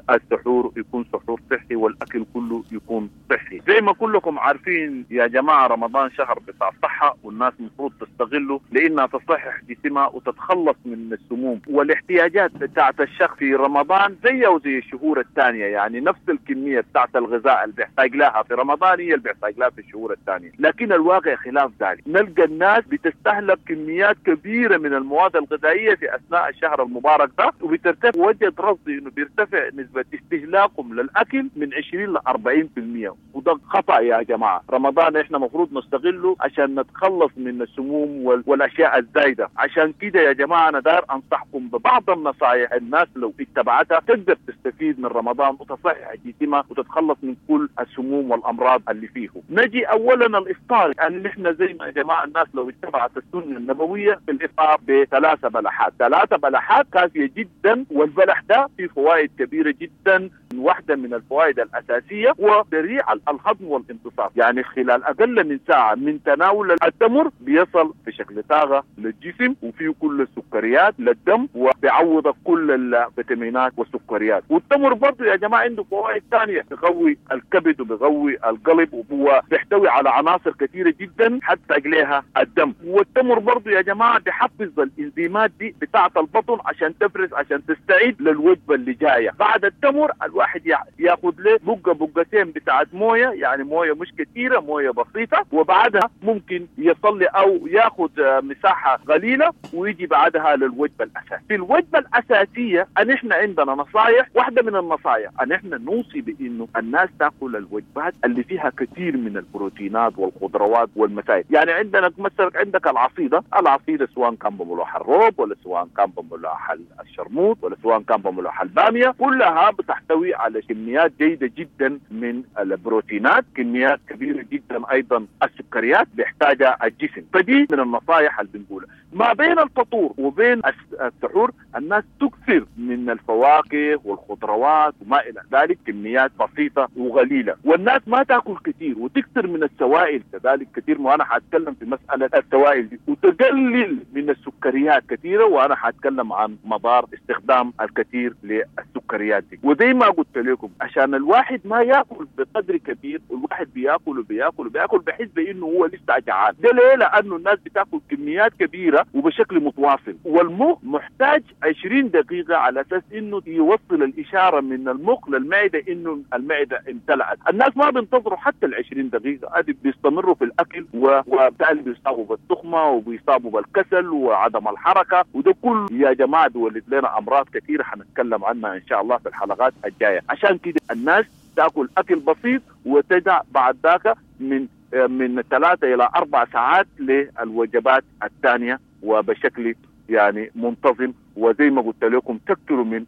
السحور يكون سحور صحي، والأكل كله يكون صحي. زي ما كلكم عارفين يا جماعة، رمضان شهر بتاع صحة، والناس المفروض تستغله لأنها تصحح جسمها وتتخلص من السموم والاحتياجات بتاعت الشخص في رمضان زي وزي الشهور الثانية. يعني نفس الكمية بتاعت الغذاء اللي بيحتاج لها في رمضان هي اللي بيحتاج لها في الشهور الثانية، لكن الواقع خلاف ذلك. نلقى الناس بتستهلك كميات كبيرة من المواد الغذائية في أثناء الشهر المبارك ده، وبترتفع وجد رصدي إنه بيرتفع نسبة استهلاكهم للأكل من 20 ل 40%، وده خطأ يا جماعة. رمضان إحنا مفروض نستغله عشان نتخلص من السموم والأشياء الزايدة. عشان كده يا جماعة أنا داير أنصحكم ببعض النصائح الناس لو اتبعتها تقدر تستفيد من رمضان وتصحح جسمها وتتخلص من كل السموم والأمراض اللي فيه. نجي أولا الإفطار، يعني نحن زي ما يا جماعة الناس لو اتبعت السنة النبوية في الإفطار ب3 بلحات، 3 بلحات كافية جدا، والبلح ده فيه فوائد كبيرة جدا. واحدة من الفوائد الأساسية هو سريع الهضم والامتصاص، يعني خلال أقل من ساعة من تناول التمر بيصل بشكل طاقة للجسم، وفيه كل السكريات للدم، وبيعوض كل الفيتامينات والسكريات. والتمر برضه يا جماعة عنده فوائد ثانية، بيقوي الكبد وبيقوي القلب، وهو بيحتوي على عناصر كثيرة جدا حتى أجليها الدم. والتمر برضه يا جماعة بيحفز الإنزيمات دي بتاعة البطن عشان تفرز، عشان تستعيد للوجبة اللي جاية. بعد التمر الواحد الواحد ياخذ له بقه بقتين بتاعت مويه، يعني مويه مش كثيرة، مويه بسيطة، وبعدها ممكن يصلي او ياخذ مساحة قليله ويجي بعدها للوجبه الاساسية. في الوجبة الاساسية ان احنا عندنا نصائح، واحدة من النصائح ان احنا نوصي بانه الناس تاكل الوجبات اللي فيها كثير من البروتينات والخضروات والمسائل. يعني عندنا مثلا عندك العصيده، العصيده سواء كان بملوح الروب ولا سواء كان بملوح الشرموط ولا سواء كان بملوح الباميه، كلها بتحتوي على كميات جيدة جدا من البروتينات، كميات كبيرة جدا ايضا السكريات بيحتاجها الجسم. فدي من النصائح اللي بنقولها. ما بين الفطور وبين السحور الناس تكثر من الفواكه والخضروات وما الى ذلك، كميات بسيطة وقليله، والناس ما تاكل كثير وتكثر من السوائل كذلك كثير، وانا حاتكلم في مسالة السوائل دي، وتقلل من السكريات كثيرة، وانا حاتكلم عن مضار استخدام الكثير للسكريات دي. وزي ما قلت لكم عشان الواحد ما ياكل بقدر كبير، والواحد بياكل وبياكل وبياكل بحس بانه هو لسه جعان. ده ليه؟ لانه الناس بتاكل كميات كبيرة وبشكل متواصل، والمخ محتاج 20 دقيقة على اساس انه يوصل الاشارة من المخ للمعدة انه المعدة امتلأت. الناس ما بينتظروا حتى ال 20 دقيقة، ادي بيستمروا في الاكل، وبالتالي بيصابوا بالتخمه وبيصابوا بالكسل وعدم الحركة، وده كله يا جماعة بيولد لنا امراض كثيرة حنتكلم عنها ان شاء الله في الحلقات الجاية. عشان كده الناس تاكل اكل بسيط وتدع بعد ذاك من 3 الى 4 ساعات للوجبات الثانية وبشكل يعني منتظم. وزي ما قلت لكم تكثروا من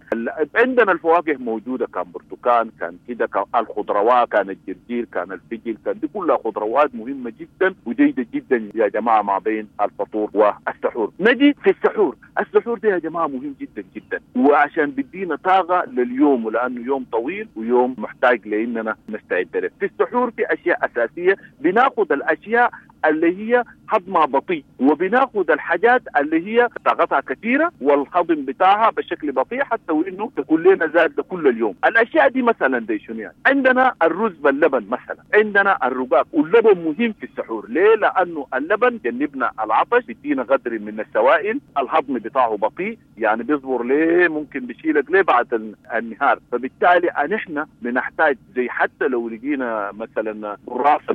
عندنا الفواكه موجودة، كان برتقال، كان كده، كان الخضروات، كان الجرجير، كان الفجل، كان دي كلها خضروات مهمة جدا وجيده جدا يا جماعة ما بين الفطور والسحور. نجي في السحور، السحور ده يا جماعة مهم جدا جدا، وعشان بيدينا طاقة لليوم، ولانه يوم طويل ويوم محتاج لاننا نستعد له. في السحور في اشياء اساسية، بناخذ الاشياء اللي هي هضمها بطيء، وبناخذ الحاجات اللي هي طاقتها كثيرة والهضم بتاعها بشكل بطيء حتى وانه تكون لنا زاد كل اليوم. الاشياء دي مثلا دي شنو يعني؟ عندنا الرز باللبن مثلا، عندنا الرقاق، واللبن مهم في السحور. ليه؟ لانه اللبن جنبنا العطش، بيدينا قدر من السوائل، الهضم بتاعه بطيء، يعني بيصبر ليه، ممكن بيشيلك ليه بعد النهار. فبالتالي نحن بنحتاج زي حتى لو لقينا مثلا قراصه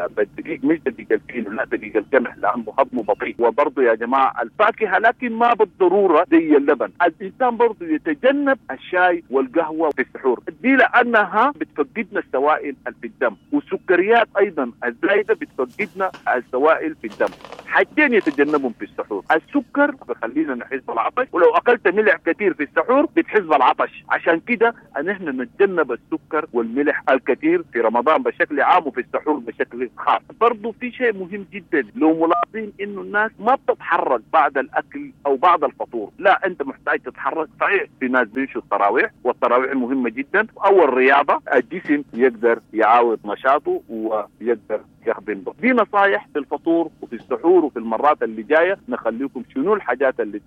بالدقيق، مش دقيق الفينو، لا دقيق القمح، لانه هضمه بطيء. وبرضه يا جماعة الفاكهة، لكن ما بالضرورة زي اللبن. الانسان برضه يتجنب الشاي والقهوة في السحور دي، لانها بتفقدنا السوائل في الدم، والسكريات ايضا الزايدة بتفقدنا السوائل في الدم. حاجتين يتجنبهم في السحور، السكر بخلينا نحس بالعطش، ولو اكلت ملح كثير في السحور بتحس بالعطش. عشان كده ان احنا نتجنب السكر والملح الكثير في رمضان بشكل عام وفي السحور بشكل خاص. برضه في شيء مهم جدا لو ملاحظين انه الناس ما بتتحرك بعد الاكل او بعد الفطور، لا انت محتاج تتحرك. صحيح في ناس بيمشوا التراويح، والتراويح مهمة جدا، او الرياضة، الجسم يقدر يعاود نشاطه ويقدر يخدم به. دي نصايح في الفطور وفي السحور، وفي المرات اللي جاية نخليكم شنو الحاجات اللي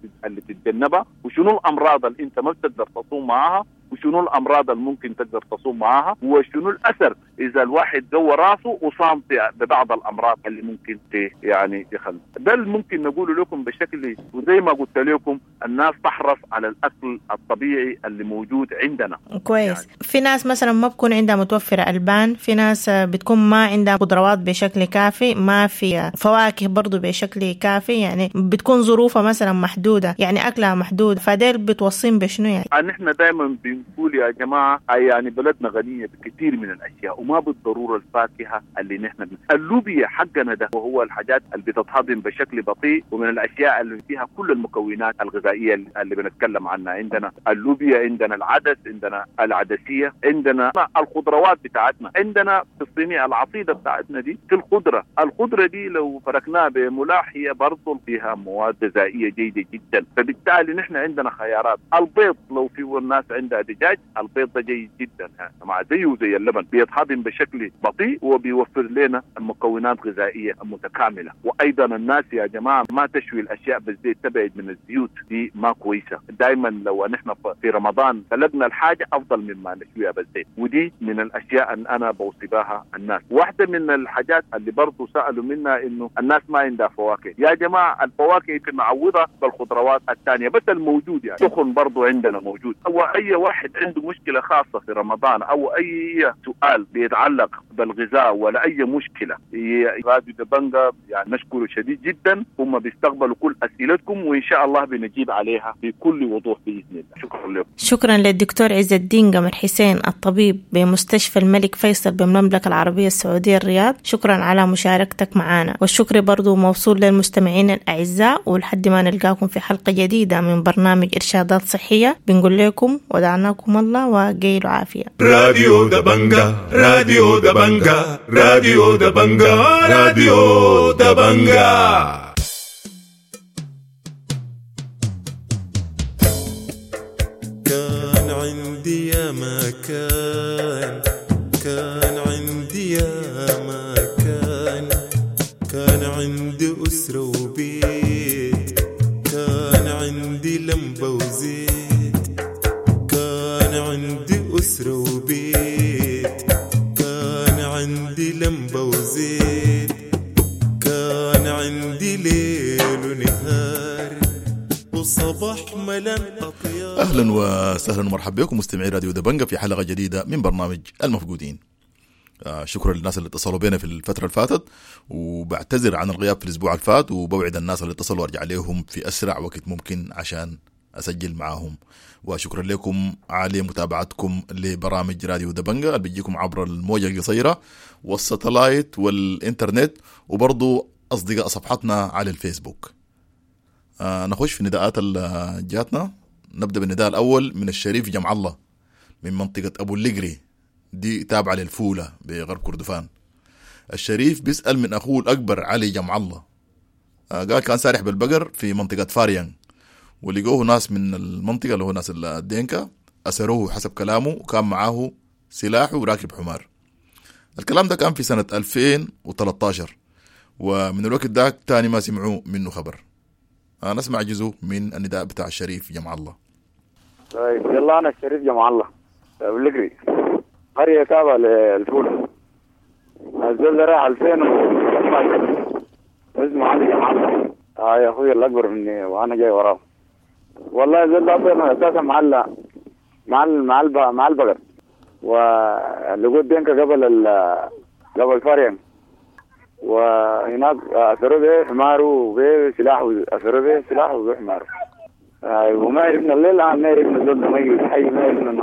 تتجنبها، وشنو الامراض اللي انت ما بتقدر تصوم معاها، وشنو الامراض اللي ممكن تقدر تصوم معاها، وشنو الاثر اذا الواحد جوه راسه وصام ببعض الامراض اللي ممكن يعني يخلي. ده اللي ممكن نقوله لكم بشكل، وزي ما قلت لكم الناس تحرص على الاكل الطبيعي اللي موجود عندنا. كويس يعني. في ناس مثلا ما بكون عندها متوفرة البان، في ناس بتكون ما عندها خضروات بشكل كافي، ما في فواكه برضو بشكل كافي، يعني بتكون ظروفها مثلا محدودة، يعني اكلها محدود، فديل بتوصين بشنو يعني؟ نحن دائما بنقول يا جماعة يعني بلدنا غنية بكثير من الاشياء، وما بالضرورة الفاكهة اللي نحن اللوبيا حقنا ده، وهو الحاجات اللي بتتهضم بشكل بطيء، ومن الاشياء اللي فيها كل المكونات الغذائية اللي بنتكلم عنها. عندنا اللوبيا، عندنا العدس، عندنا العدسيه، عندنا الخضروات بتاعتنا، عندنا في الصينية العصيده بتاعتنا دي في الخضرة، الخضرة دي لو فركناها بملاح هي برضه فيها مواد غذائية جيدة جدا. فبالتالي نحن عندنا خيارات. البيض لو في الناس عندها دجاج، البيض ده جيد جدا مع زيه زي اللبن، بيتهضم بشكل بطيء وبيوفر لنا مكونات غذائية متكاملة. وايضا الناس يا جماعة ما تشوي الاشياء بالزيت، تبعد من الزيوت دي ما كويسة. دائما لو نحن في رمضان سلقنا الحاجة افضل مما نشويها بالزيت، ودي من الاشياء ان انا بوصي بها الناس. واحدة من الحاجات اللي برضه سالوا منها انه الناس ما عندها فواكه. يا جماعة الفواكه يمكن نعوضها بالخضروات الثانية، بس الموجود يعني سخن برضه عندنا موجود. واي واحد واحد عنده مشكلة خاصة في رمضان أو أي سؤال بيتعلق بالغذاء ولا أي مشكلة، راديو دبنجا يعني نشكره شديد جدا، هم بيستقبلوا كل أسئلتكم وإن شاء الله بنجيب عليها بكل وضوح بإذن الله. شكرا لكم. شكرا للدكتور عز الدين قمر حسين الطبيب بمستشفى الملك فيصل بالمملكة العربية السعودية الرياض، شكرا على مشاركتك معنا، والشكر برضو موصول للمستمعين الأعزاء، ولحد ما نلقاكم في حلقة جديدة من برنامج إرشادات صحية بنقول لكم ودعناكم الله وقيلوا عافية. راديو دبنجا، راديو دبنجا، راديو دبنجا، راديو دبنجا. كان عندي يا مكان، كان عندي يا مكان، كان عندي أسرة وبيت، كان عندي لمبة وزيت، كان عندي أسرة وبيت، كان عندي لمبة وزيت، كان عندي ليل ونهار وصباح ملان أطيار. أهلا وسهلا ومرحبا بكم مستمعي راديو دبنجا في حلقة جديدة من برنامج المفقودين. شكرا للناس اللي اتصلوا بينا في الفترة اللي فاتت، وبعتذر عن الغياب في الأسبوع الفات، وبوعد الناس اللي اتصلوا أرجع لهم في أسرع وقت ممكن عشان أسجل معاهم. وشكرا لكم على متابعتكم لبرامج راديو دبنجا اللي بيجيكم عبر الموجة القصيرة والستلايت والإنترنت، وبرضو أصدقاء صفحتنا على الفيسبوك. نخش في نداءات اللي جاتنا. نبدأ بالنداء الأول من الشريف جمع الله من منطقة أبو اللقري، دي تابعة للفولة بغرب كردفان. الشريف بيسأل من أخوه الأكبر علي جمع الله، قال كان سارح بالبقر في منطقة فاريان، ولقوه ناس من المنطقة اللي هو ناس الدينكا، أسروه حسب كلامه، وكان معاه سلاح وراكب حمار. الكلام ده كان في سنة 2013، ومن الوقت ده تاني ما سمعوا منه خبر. نسمع جزء من النداء بتاع الشريف جمع الله. طيب يلا، أنا الشريف جمع الله أبو اللقري، قرية تابعة للفولة. الزول ده راح 2012، اسمه علي جمع الله. يا أخوي الأكبر مني وأنا جاي وراه. والله الزول ده أصلا أساسا مع البقر، ولقوا دينكا قبل فاريان، وهناك أثروا به حماره وبه سلاحه، أثروا به سلاحه وبه حماره. وما عرفنا الليل، ما عرفنا الزول ده ميت حي، ما عرفنا إنه.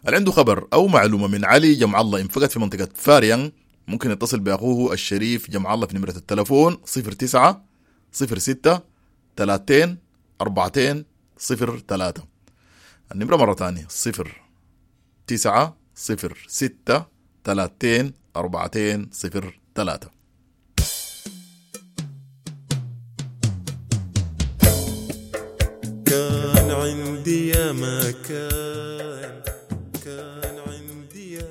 اللي عنده خبر أو معلومة من علي جمع الله انفقد في منطقة فاريان ممكن يتصل بأخوه الشريف جمع الله في نمرة التلفون 09 06 30 42 03. النمرة مرة تانية 09 06 30 42 03. كان عندي يا مكان، كان عندي يا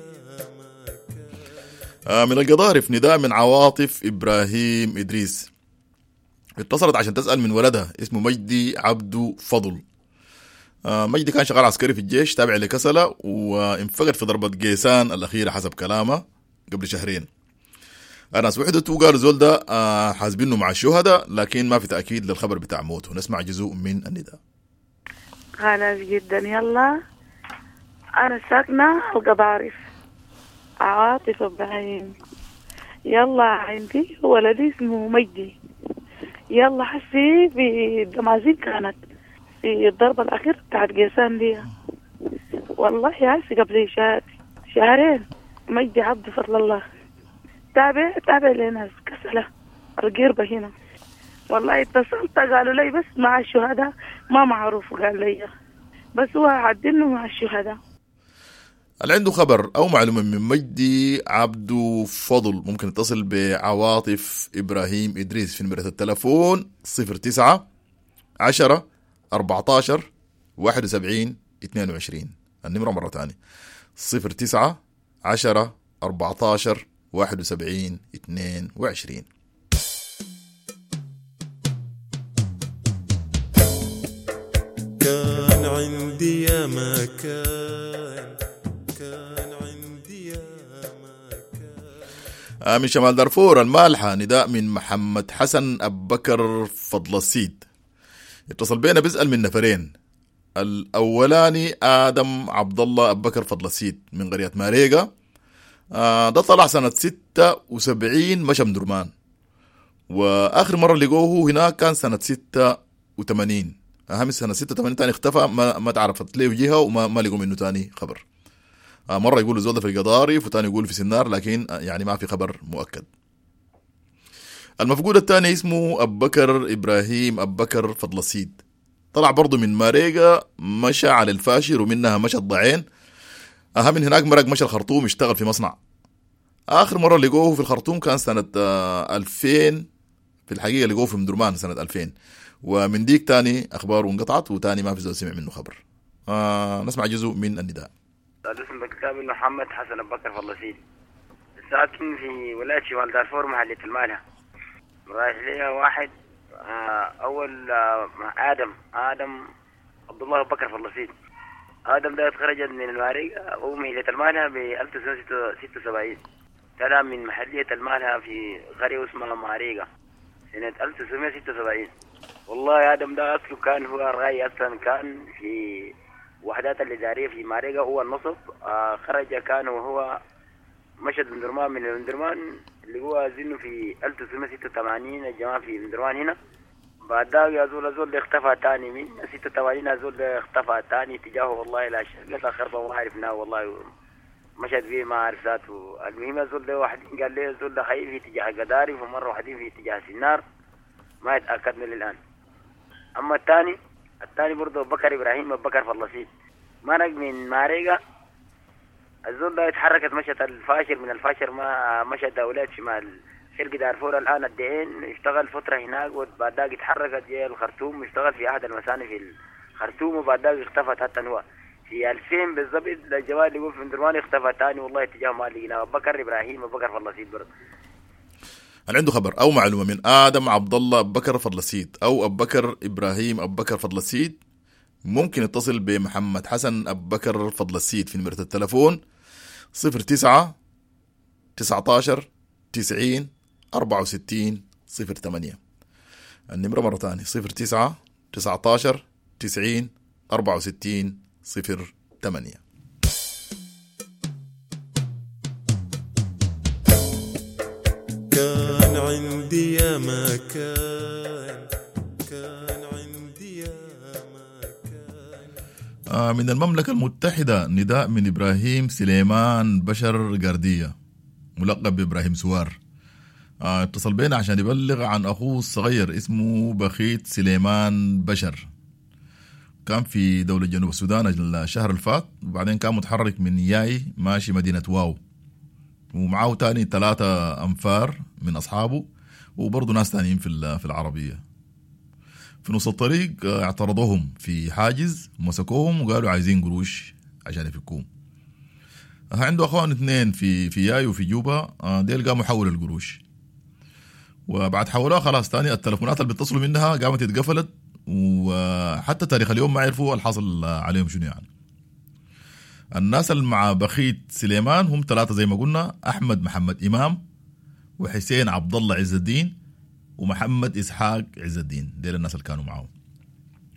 مكان. من القضارف نداء من عواطف إبراهيم إدريس، اتصلت عشان تسأل من ولدها اسمه مجدي عبدو فضل. مجدي كان شغال عسكري في الجيش تابع لكسلة، وانفقد في ضربة قيسان الأخيرة حسب كلامه قبل شهرين. الناس وحدته قالوا زول ده حاسبينه مع الشهداء، لكن ما في تأكيد للخبر بتاع موته. نسمع جزء من النداء. خلاص جدا. يلا، أنا ساكنة القضارف، عاطف إبراهيم. يلا عندي ولدي اسمه مجدي. يلا حسي في الدمازين كانت في الضربة الأخيرة بتاعت قيسان دي، والله حسي قبل شهرين. مجدي عبد فضل الله تابع لناس كسلة القربة هنا. والله اتصلت قالوا لي بس مع الشهداء، ما معروف، قال لي بس هو عدلنا مع الشهداء. اللي عنده خبر أو معلومة من مجدي عبدو فضل ممكن يتصل بعواطف إبراهيم إدريس في نمرة التلفون 09 10 14 71 22. النمرة مرة تانية 09 10 14 71 22. كان عندي يا مكان، كان عندي يا مكان. من شمال دارفور المالحة نداء من محمد حسن أبو بكر فضل السيد، اتصل بينا بيسأل من نفرين، الأولاني آدم عبد الله أبو بكر فضل السيد من قرية ماريقا. ده طلع سنة 76 مشى مدرمان، وآخر مرة لقوه هناك كان سنة 86. أهم سنة 86 تاني اختفى، ما تعرفت ليه جهة وما ما لقوا منه تاني خبر. مرة يقولوا زول ده في القضارف وتاني يقولوا في سنار، لكن يعني ما في خبر مؤكد. المفقود الثاني اسمه أبو بكر إبراهيم أبو بكر فضل السيد، طلع برضه من ماريقا مشى على الفاشر ومنها مشى الضعين. أهم من هناك مرق مشى الخرطوم اشتغل في مصنع. آخر مرة لقوه في الخرطوم كان سنة 2000، في الحقيقة لقوه في مدرمان سنة 2000، ومن ديك تاني أخباره انقطعت وتاني ما في زول سمع منه خبر. نسمع جزء من النداء. الاسم بالكتاب محمد حسن أبو بكر فضل السيد، ساكن في ولاية شمال دارفور محلية المالة. رايح لي واحد أول آدم عبد الله أبو بكر فضل السيد. آدم ده اتخرج من الماريقة أو محلية المالة ب 1976، طلع من محلية المالة في قرية اسمها ماريقة سنة 1976. والله آدم ده أصله كان هو الرأي أصلا، كان في وحدات الإدارية في ماريقة هو النصب. خرج كان وهو مشى من مندرمان اللي هو زنه في 1986 الجماعة في مندرمان هنا. بعد ذاك يا زول ده اختفى تاني من 86، زول ده اختفى تاني تجاهه والله لا شقة خربة ما عرفناه والله، مشت فيه ما عرف ذاته. المهم زول ده واحدين قال لي زول ده حي في اتجاه قدارف، ومرة واحدين في اتجاه سنار، ما اتأكدنا للآن. أما الثاني برضه بكر إبراهيم بكر فلسطين، مرق من ماريقة. الزول ده اتحركت مشت الفاشر، من الفاشر ما مشت دولات شمال شرق دارفور الآن الدعين، اشتغل فترة هناك وبعد ذاك اتحركت جاي الخرطوم، اشتغل في أحد المساني في الخرطوم، وبعد ذاك اختفت حتى هو في 2000 بالضبط. الجوال اللي يقول في مدرمان اختفى تاني والله اتجاه ما لقيناه. بكر إبراهيم بكر فلسطين برضه. اللي عنده خبر أو معلومة من آدم عبد الله أبو بكر فضل السيد أو أبو بكر إبراهيم أبو بكر فضل السيد ممكن يتصل بمحمد حسن أبو بكر فضل السيد في نمرة التلفون 09 19 90 64 08. النمرة مرة تانية 09 19 90 64 08. كان عندي يا ما كان، كان عندي يا ما كان. من المملكة المتحدة نداء من إبراهيم سليمان بشر قردية، ملقب بإبراهيم سوار. اتصل بينا عشان يبلغ عن أخوه الصغير اسمه بخيت سليمان بشر، كان في دولة جنوب السودان الشهر الفات، وبعدين كان متحرك من ياي ماشي مدينة واو، ومعه تاني 3 أنفار من أصحابه وبرضه ناس تانيين في العربية. في نص الطريق اعترضوهم في حاجز، مسكوهم وقالوا عايزين قروش عشان يفكوهم. عنده أخوان 2 في ياي وفي جوبا، ديل قاموا حولوا القروش، وبعد حولوها خلاص تاني التلفونات اللي بيتصلوا منها قامت اتقفلت، وحتى تاريخ اليوم ما عرفوا الحاصل عليهم شنو يعني. الناس اللي مع بخيت سليمان هم 3 زي ما قلنا، أحمد محمد إمام وحسين عبد الله عز الدين ومحمد إسحاق عز الدين، ديل الناس اللي كانوا معهم.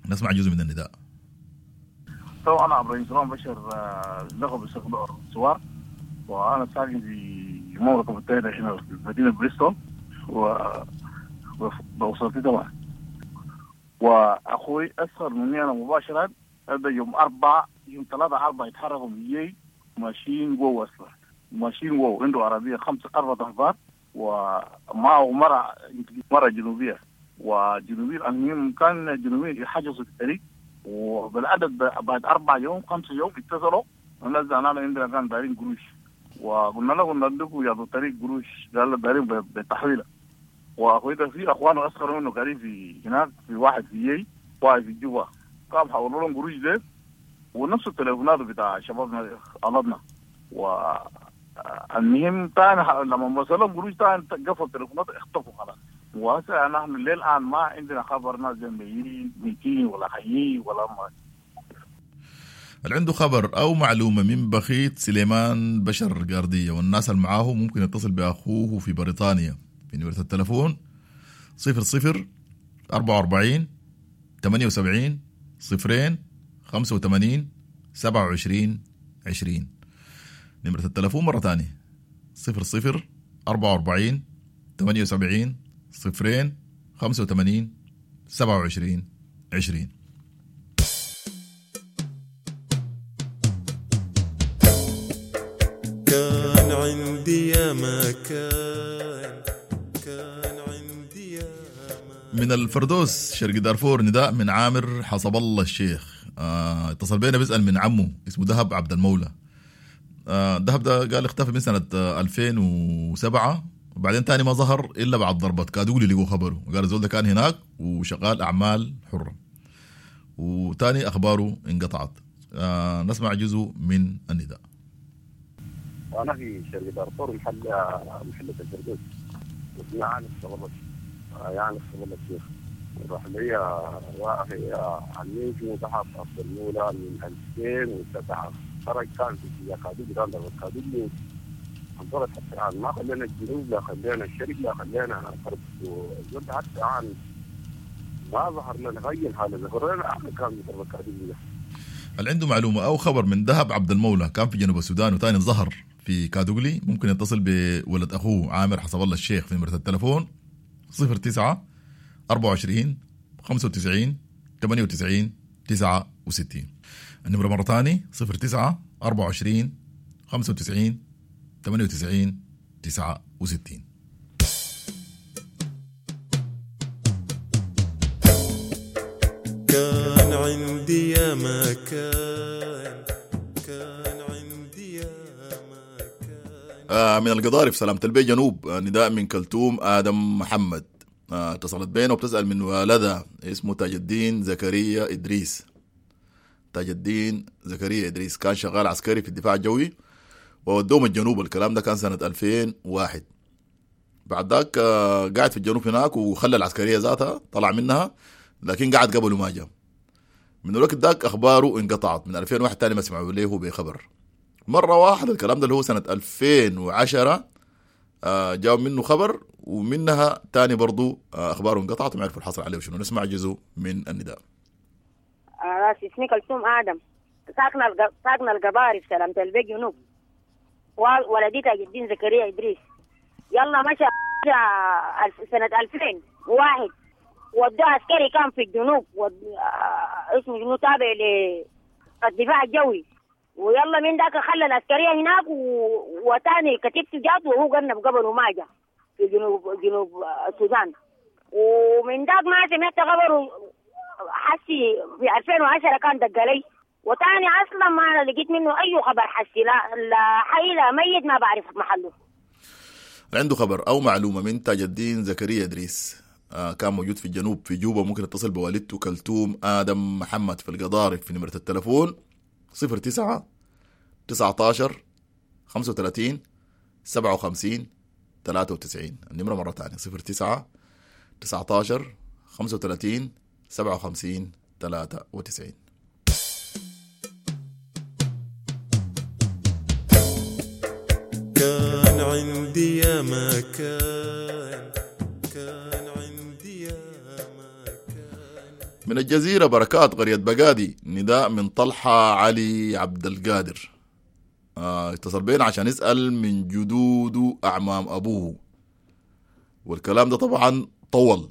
نسمع جزء من النداء. تو أنا إبراهيم سليمان بشر، لقب سوار، وأنا ساكن في المملكة المتحدة هنا في مدينة بريستول وبوصلتي طبعا. وأخوي أصغر مني أنا مباشرة، هذا يوم 3/4 يتحركوا من يي ماشيين جوا أصلا، ماشيين جوا، عنده عربية 5-4 أنفار ومعه مرة جنوبية، وجنوبية المهم كان جنوبية يحجزوا في الطريق، وبالعدد بعد 4 يوم 5 يوم اتصلوا الناس أنا عندنا كان دارين قروش، وقلنا لهم ندوكوا يا الطريق قروش، قال دارين بالتحويلة. وأخوي ده في أخوانه أصغر منه قريب في هناك، في واحد في يي واحد في جوا، قام حولوا لهم قروش ده ونفس التليفونات بتاع شبابنا قلبنا. والمهم تاني لما وصلهم قروش تاني قفل التليفونات اختفوا خلاص. وهسه نحن للآن ما عندنا خبر ناس ميتين ولا حيين ولا ما. اللي عنده خبر أو معلومة من بخيت سليمان بشر قاردية والناس اللي معاه ممكن يتصل بأخوه في بريطانيا في نمرة التلفون 00 44 78 0 75 85 27 20. نمرة التلفون مرة تانية 00 44 78 0 85 27 20. كان عندي يا مكان، كان عندي يا من الفردوس شرق دارفور نداء من عامر حسب الله الشيخ. اتصل بينا بيسأل من عمه اسمه دهب عبد المولى. دهب ده قال اختفى من سنة 2007، وبعدين تاني ما ظهر إلا بعد ضربة كادولي لقوا خبره، وقال الزول ده كان هناك وشغال أعمال حرة، وتاني أخباره انقطعت. نسمع جزء من النداء. أنا في شرق دارفور محلة الفردوس، اسمي عامر حسب يعني حسب الله الشيخ. راح لي واحد عمي اسمه دهب عبد المولى من 2007، خرج كان في كادوقلي، كان ضربة كادوقلي انطلق حتى الآن، ما خلينا الجنوب لا خلينا الشرق لا خلينا الغرب، والزول حتى الآن ما ظهر لنا غير هذا، ظهر لنا آخر كان ضربة كادوقلي. اللي عنده معلومة أو خبر من دهب عبد المولى كان في جنوب السودان وتاني ظهر في كادوقلي، ممكن يتصل بولد أخوه عامر حسب الله الشيخ في نمرة التلفون 09 24 95 98 69. النمرة مرة تاني 09 24 95 98 69. كان عندي يا مكان، كان عندي يا مكان. من القضارف سلامة البي جنوب، نداء من كلثوم آدم محمد. اتصلت بينا وبتسأل من والدها اسمه تاج الدين زكريا إدريس. تاج الدين زكريا إدريس كان شغال عسكري في الدفاع الجوي وودوهم الجنوب، الكلام ده كان سنة 2001. بعد ذاك قاعد في الجنوب هناك وخلى العسكرية ذاتها طلع منها، لكن قعد قبله ما جاء. من الوقت ذاك أخباره انقطعت، من 2001 تاني ما سمعوا له بخبر. مرة واحدة الكلام ده اللي هو سنة 2010 جاء منه خبر، ومنها تاني برضو أخباره انقطعت وما عرفوا الحصل عليه وشنو. نسمع جزء من النداء. راسي اسمي كلثوم آدم، ساكنة القضارف سلامة البي جنوب، ولدي تاج الدين زكريا إدريس. يلا مشى سنة 2001 وداه عسكري كان في الجنوب، اسمه جنوب تابع للدفاع الجوي، ويلا من ذاك خلى العسكرية هناك وتاني كتيبته جات وهو قرنب قبل وما جا في جنوب السودان، ومن ذاك ما سمعت خبره. حسي في 2010 كان دق لي، وتاني اصلا ما لقيت منه اي خبر، حسي لا حي لا ميت، ما بعرف محله. عنده خبر او معلومه من تاج الدين زكريا ادريس، كان موجود في الجنوب في جوبا، ممكن يتصل بوالدته كلثوم ادم محمد في القضارف في نمره التلفون 09 19 35 57 93. النمره مره ثانيه 09 19 35 57 93. كان عندي يا مكان، كان عندي يا مكان. من الجزيرة بركات قرية بقادي، نداء من طلحة علي عبد القادر. اتصل بينا عشان يسأل من جدوده أعمام أبوه، والكلام ده طبعا طول،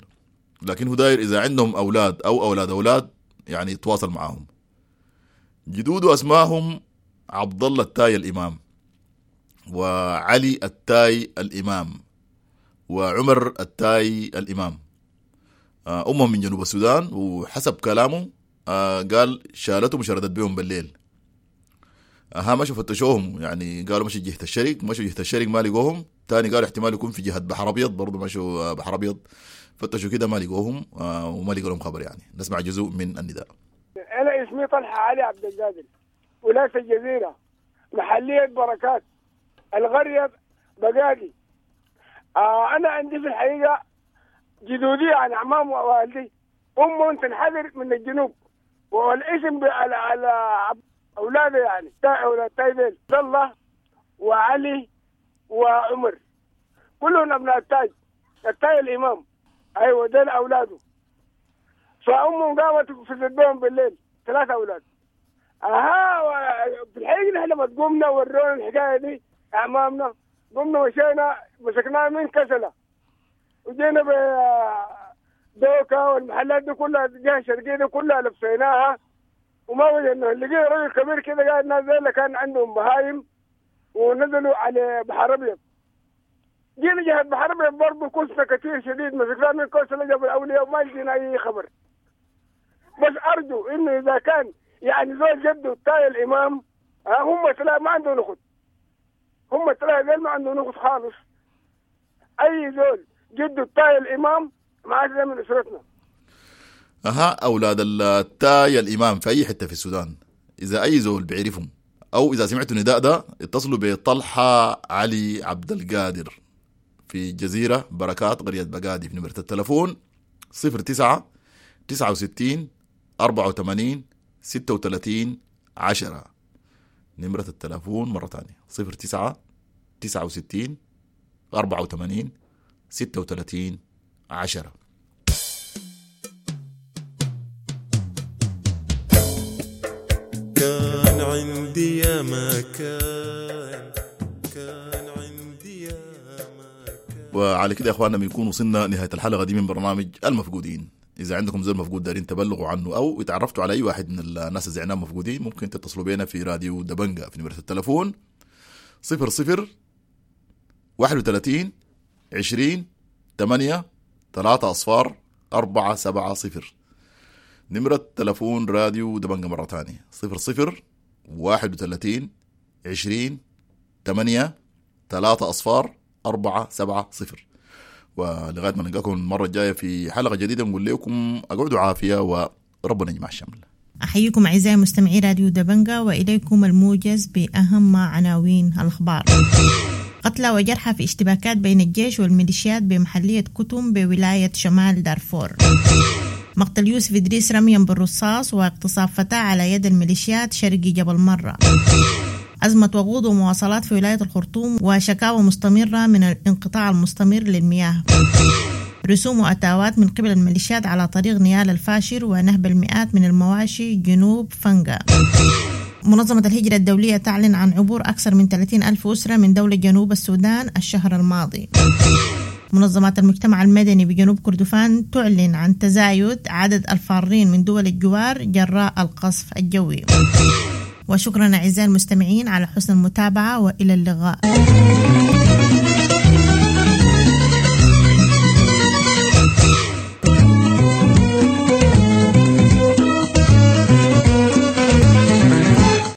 لكن هو داير إذا عندهم أولاد أو أولاد أولاد يعني يتواصل معاهم. جدوده أسماهم عبد الله التاي الإمام، وعلي التاي الإمام، وعمر التاي الإمام. أمهم من جنوب السودان، وحسب كلامه قال شالتهم وشردت بهم بالليل. مشوا فتشوهم، يعني قالوا مشوا جهة الشرق، مشوا جهة الشرق ما لقوهم. تاني قالوا احتمال يكون في جهة بحر أبيض، برضو مشوا بحر أبيض فتشوا كده ما لقوهم، وما لقوا لهم خبر. يعني نسمع جزء من النداء. أنا اسمي طلحة علي عبد القادر، ولاية الجزيرة، محلية بركات، القرية بقادي. أنا عندي في الحقيقة جدودي يعني أعمام ووالدي، أمهم تنحدر من الجنوب، والاسم على أولاده يعني أولاد تايدين عبد الله وعلي وعمر، كلهم أبناء التاج، التاي الإمام. أيوة دول أولاده. فأمهم قامت في بهم بالليل 3 أولاد، اها في الحقيقة نحن لما قمنا ورونا الحكاية دي اعمامنا، قمنا مشينا مسكناها من كسله وجينا دوكا والمحلات دي كلها الجهة الشرقية دي كلها لفيناها وما وجدنا. لقينا رجل كبير كده قاعد، ناس زي اللي كان عندهم بهايم ونزلوا على بحر ابيض. جينا جهة بحر ابيض برضه كوسنا كثير شديد، مسكناها من كوسة لجبل الاولياء وما لقينا اي خبر. بس ارجو انه اذا كان يعني زول جده تاي الامام، هم ثلاثة ما عندهم نخت، هم ثلاثة ما عندهم نخت خالص. اي زول جده تاي الامام ما عاد من اسرتنا. اها اولاد التاي الامام في اي حتة في السودان، اذا اي زول بيعرفهم او اذا سمعتوا النداء ده اتصلوا بطلحه علي عبد القادر في جزيرة بركات قرية بقادي في نمره التلفون 09 69 84 36 10. نمرة التلفون مرة ثانية 09 69 84 36 10. كان عندي يا ما كان، كان عندي يا ما كان. وعلى كده يا اخواننا بنكون وصلنا نهاية الحلقة دي من برنامج المفقودين. إذا عندكم زول مفقود دارين تبلغوا عنه أو اتعرفتوا على أي واحد من الناس اللي زعناهم مفقودين، ممكن تتصلوا بينا في راديو دبنجة في نمرة التلفون 00 31 20 8 3 0 4 7 0. نمرة تلفون راديو دبنجة مرة تانية 00 31 20 8 3 0 4 7 0. ولغاية ما نلقاكم المرة الجاية في حلقة جديدة نقول لكم اقعدوا عافية وربنا يجمع الشمل. أحييكم أعزائي مستمعي راديو دبنجة، وإليكم الموجز بأهم عناوين الأخبار. قتلى وجرحى في اشتباكات بين الجيش والميليشيات بمحلية كتم بولاية شمال دارفور. مقتل يوسف إدريس رميا بالرصاص واغتصاب فتاة على يد الميليشيات شرقي جبل مرة. أزمة وقود ومواصلات في ولاية الخرطوم وشكاوى مستمرة من الانقطاع المستمر للمياه. رسوم وأتاوات من قبل الميليشيات على طريق نيال الفاشر ونهب المئات من المواشي جنوب فنجا. منظمة الهجرة الدولية تعلن عن عبور أكثر من 30 ألف أسرة من دولة جنوب السودان الشهر الماضي. منظمات المجتمع المدني بجنوب كردفان تعلن عن تزايد عدد الفارين من دول الجوار جراء القصف الجوي. وشكرا أعزائي المستمعين على حسن المتابعة، وإلى اللقاء.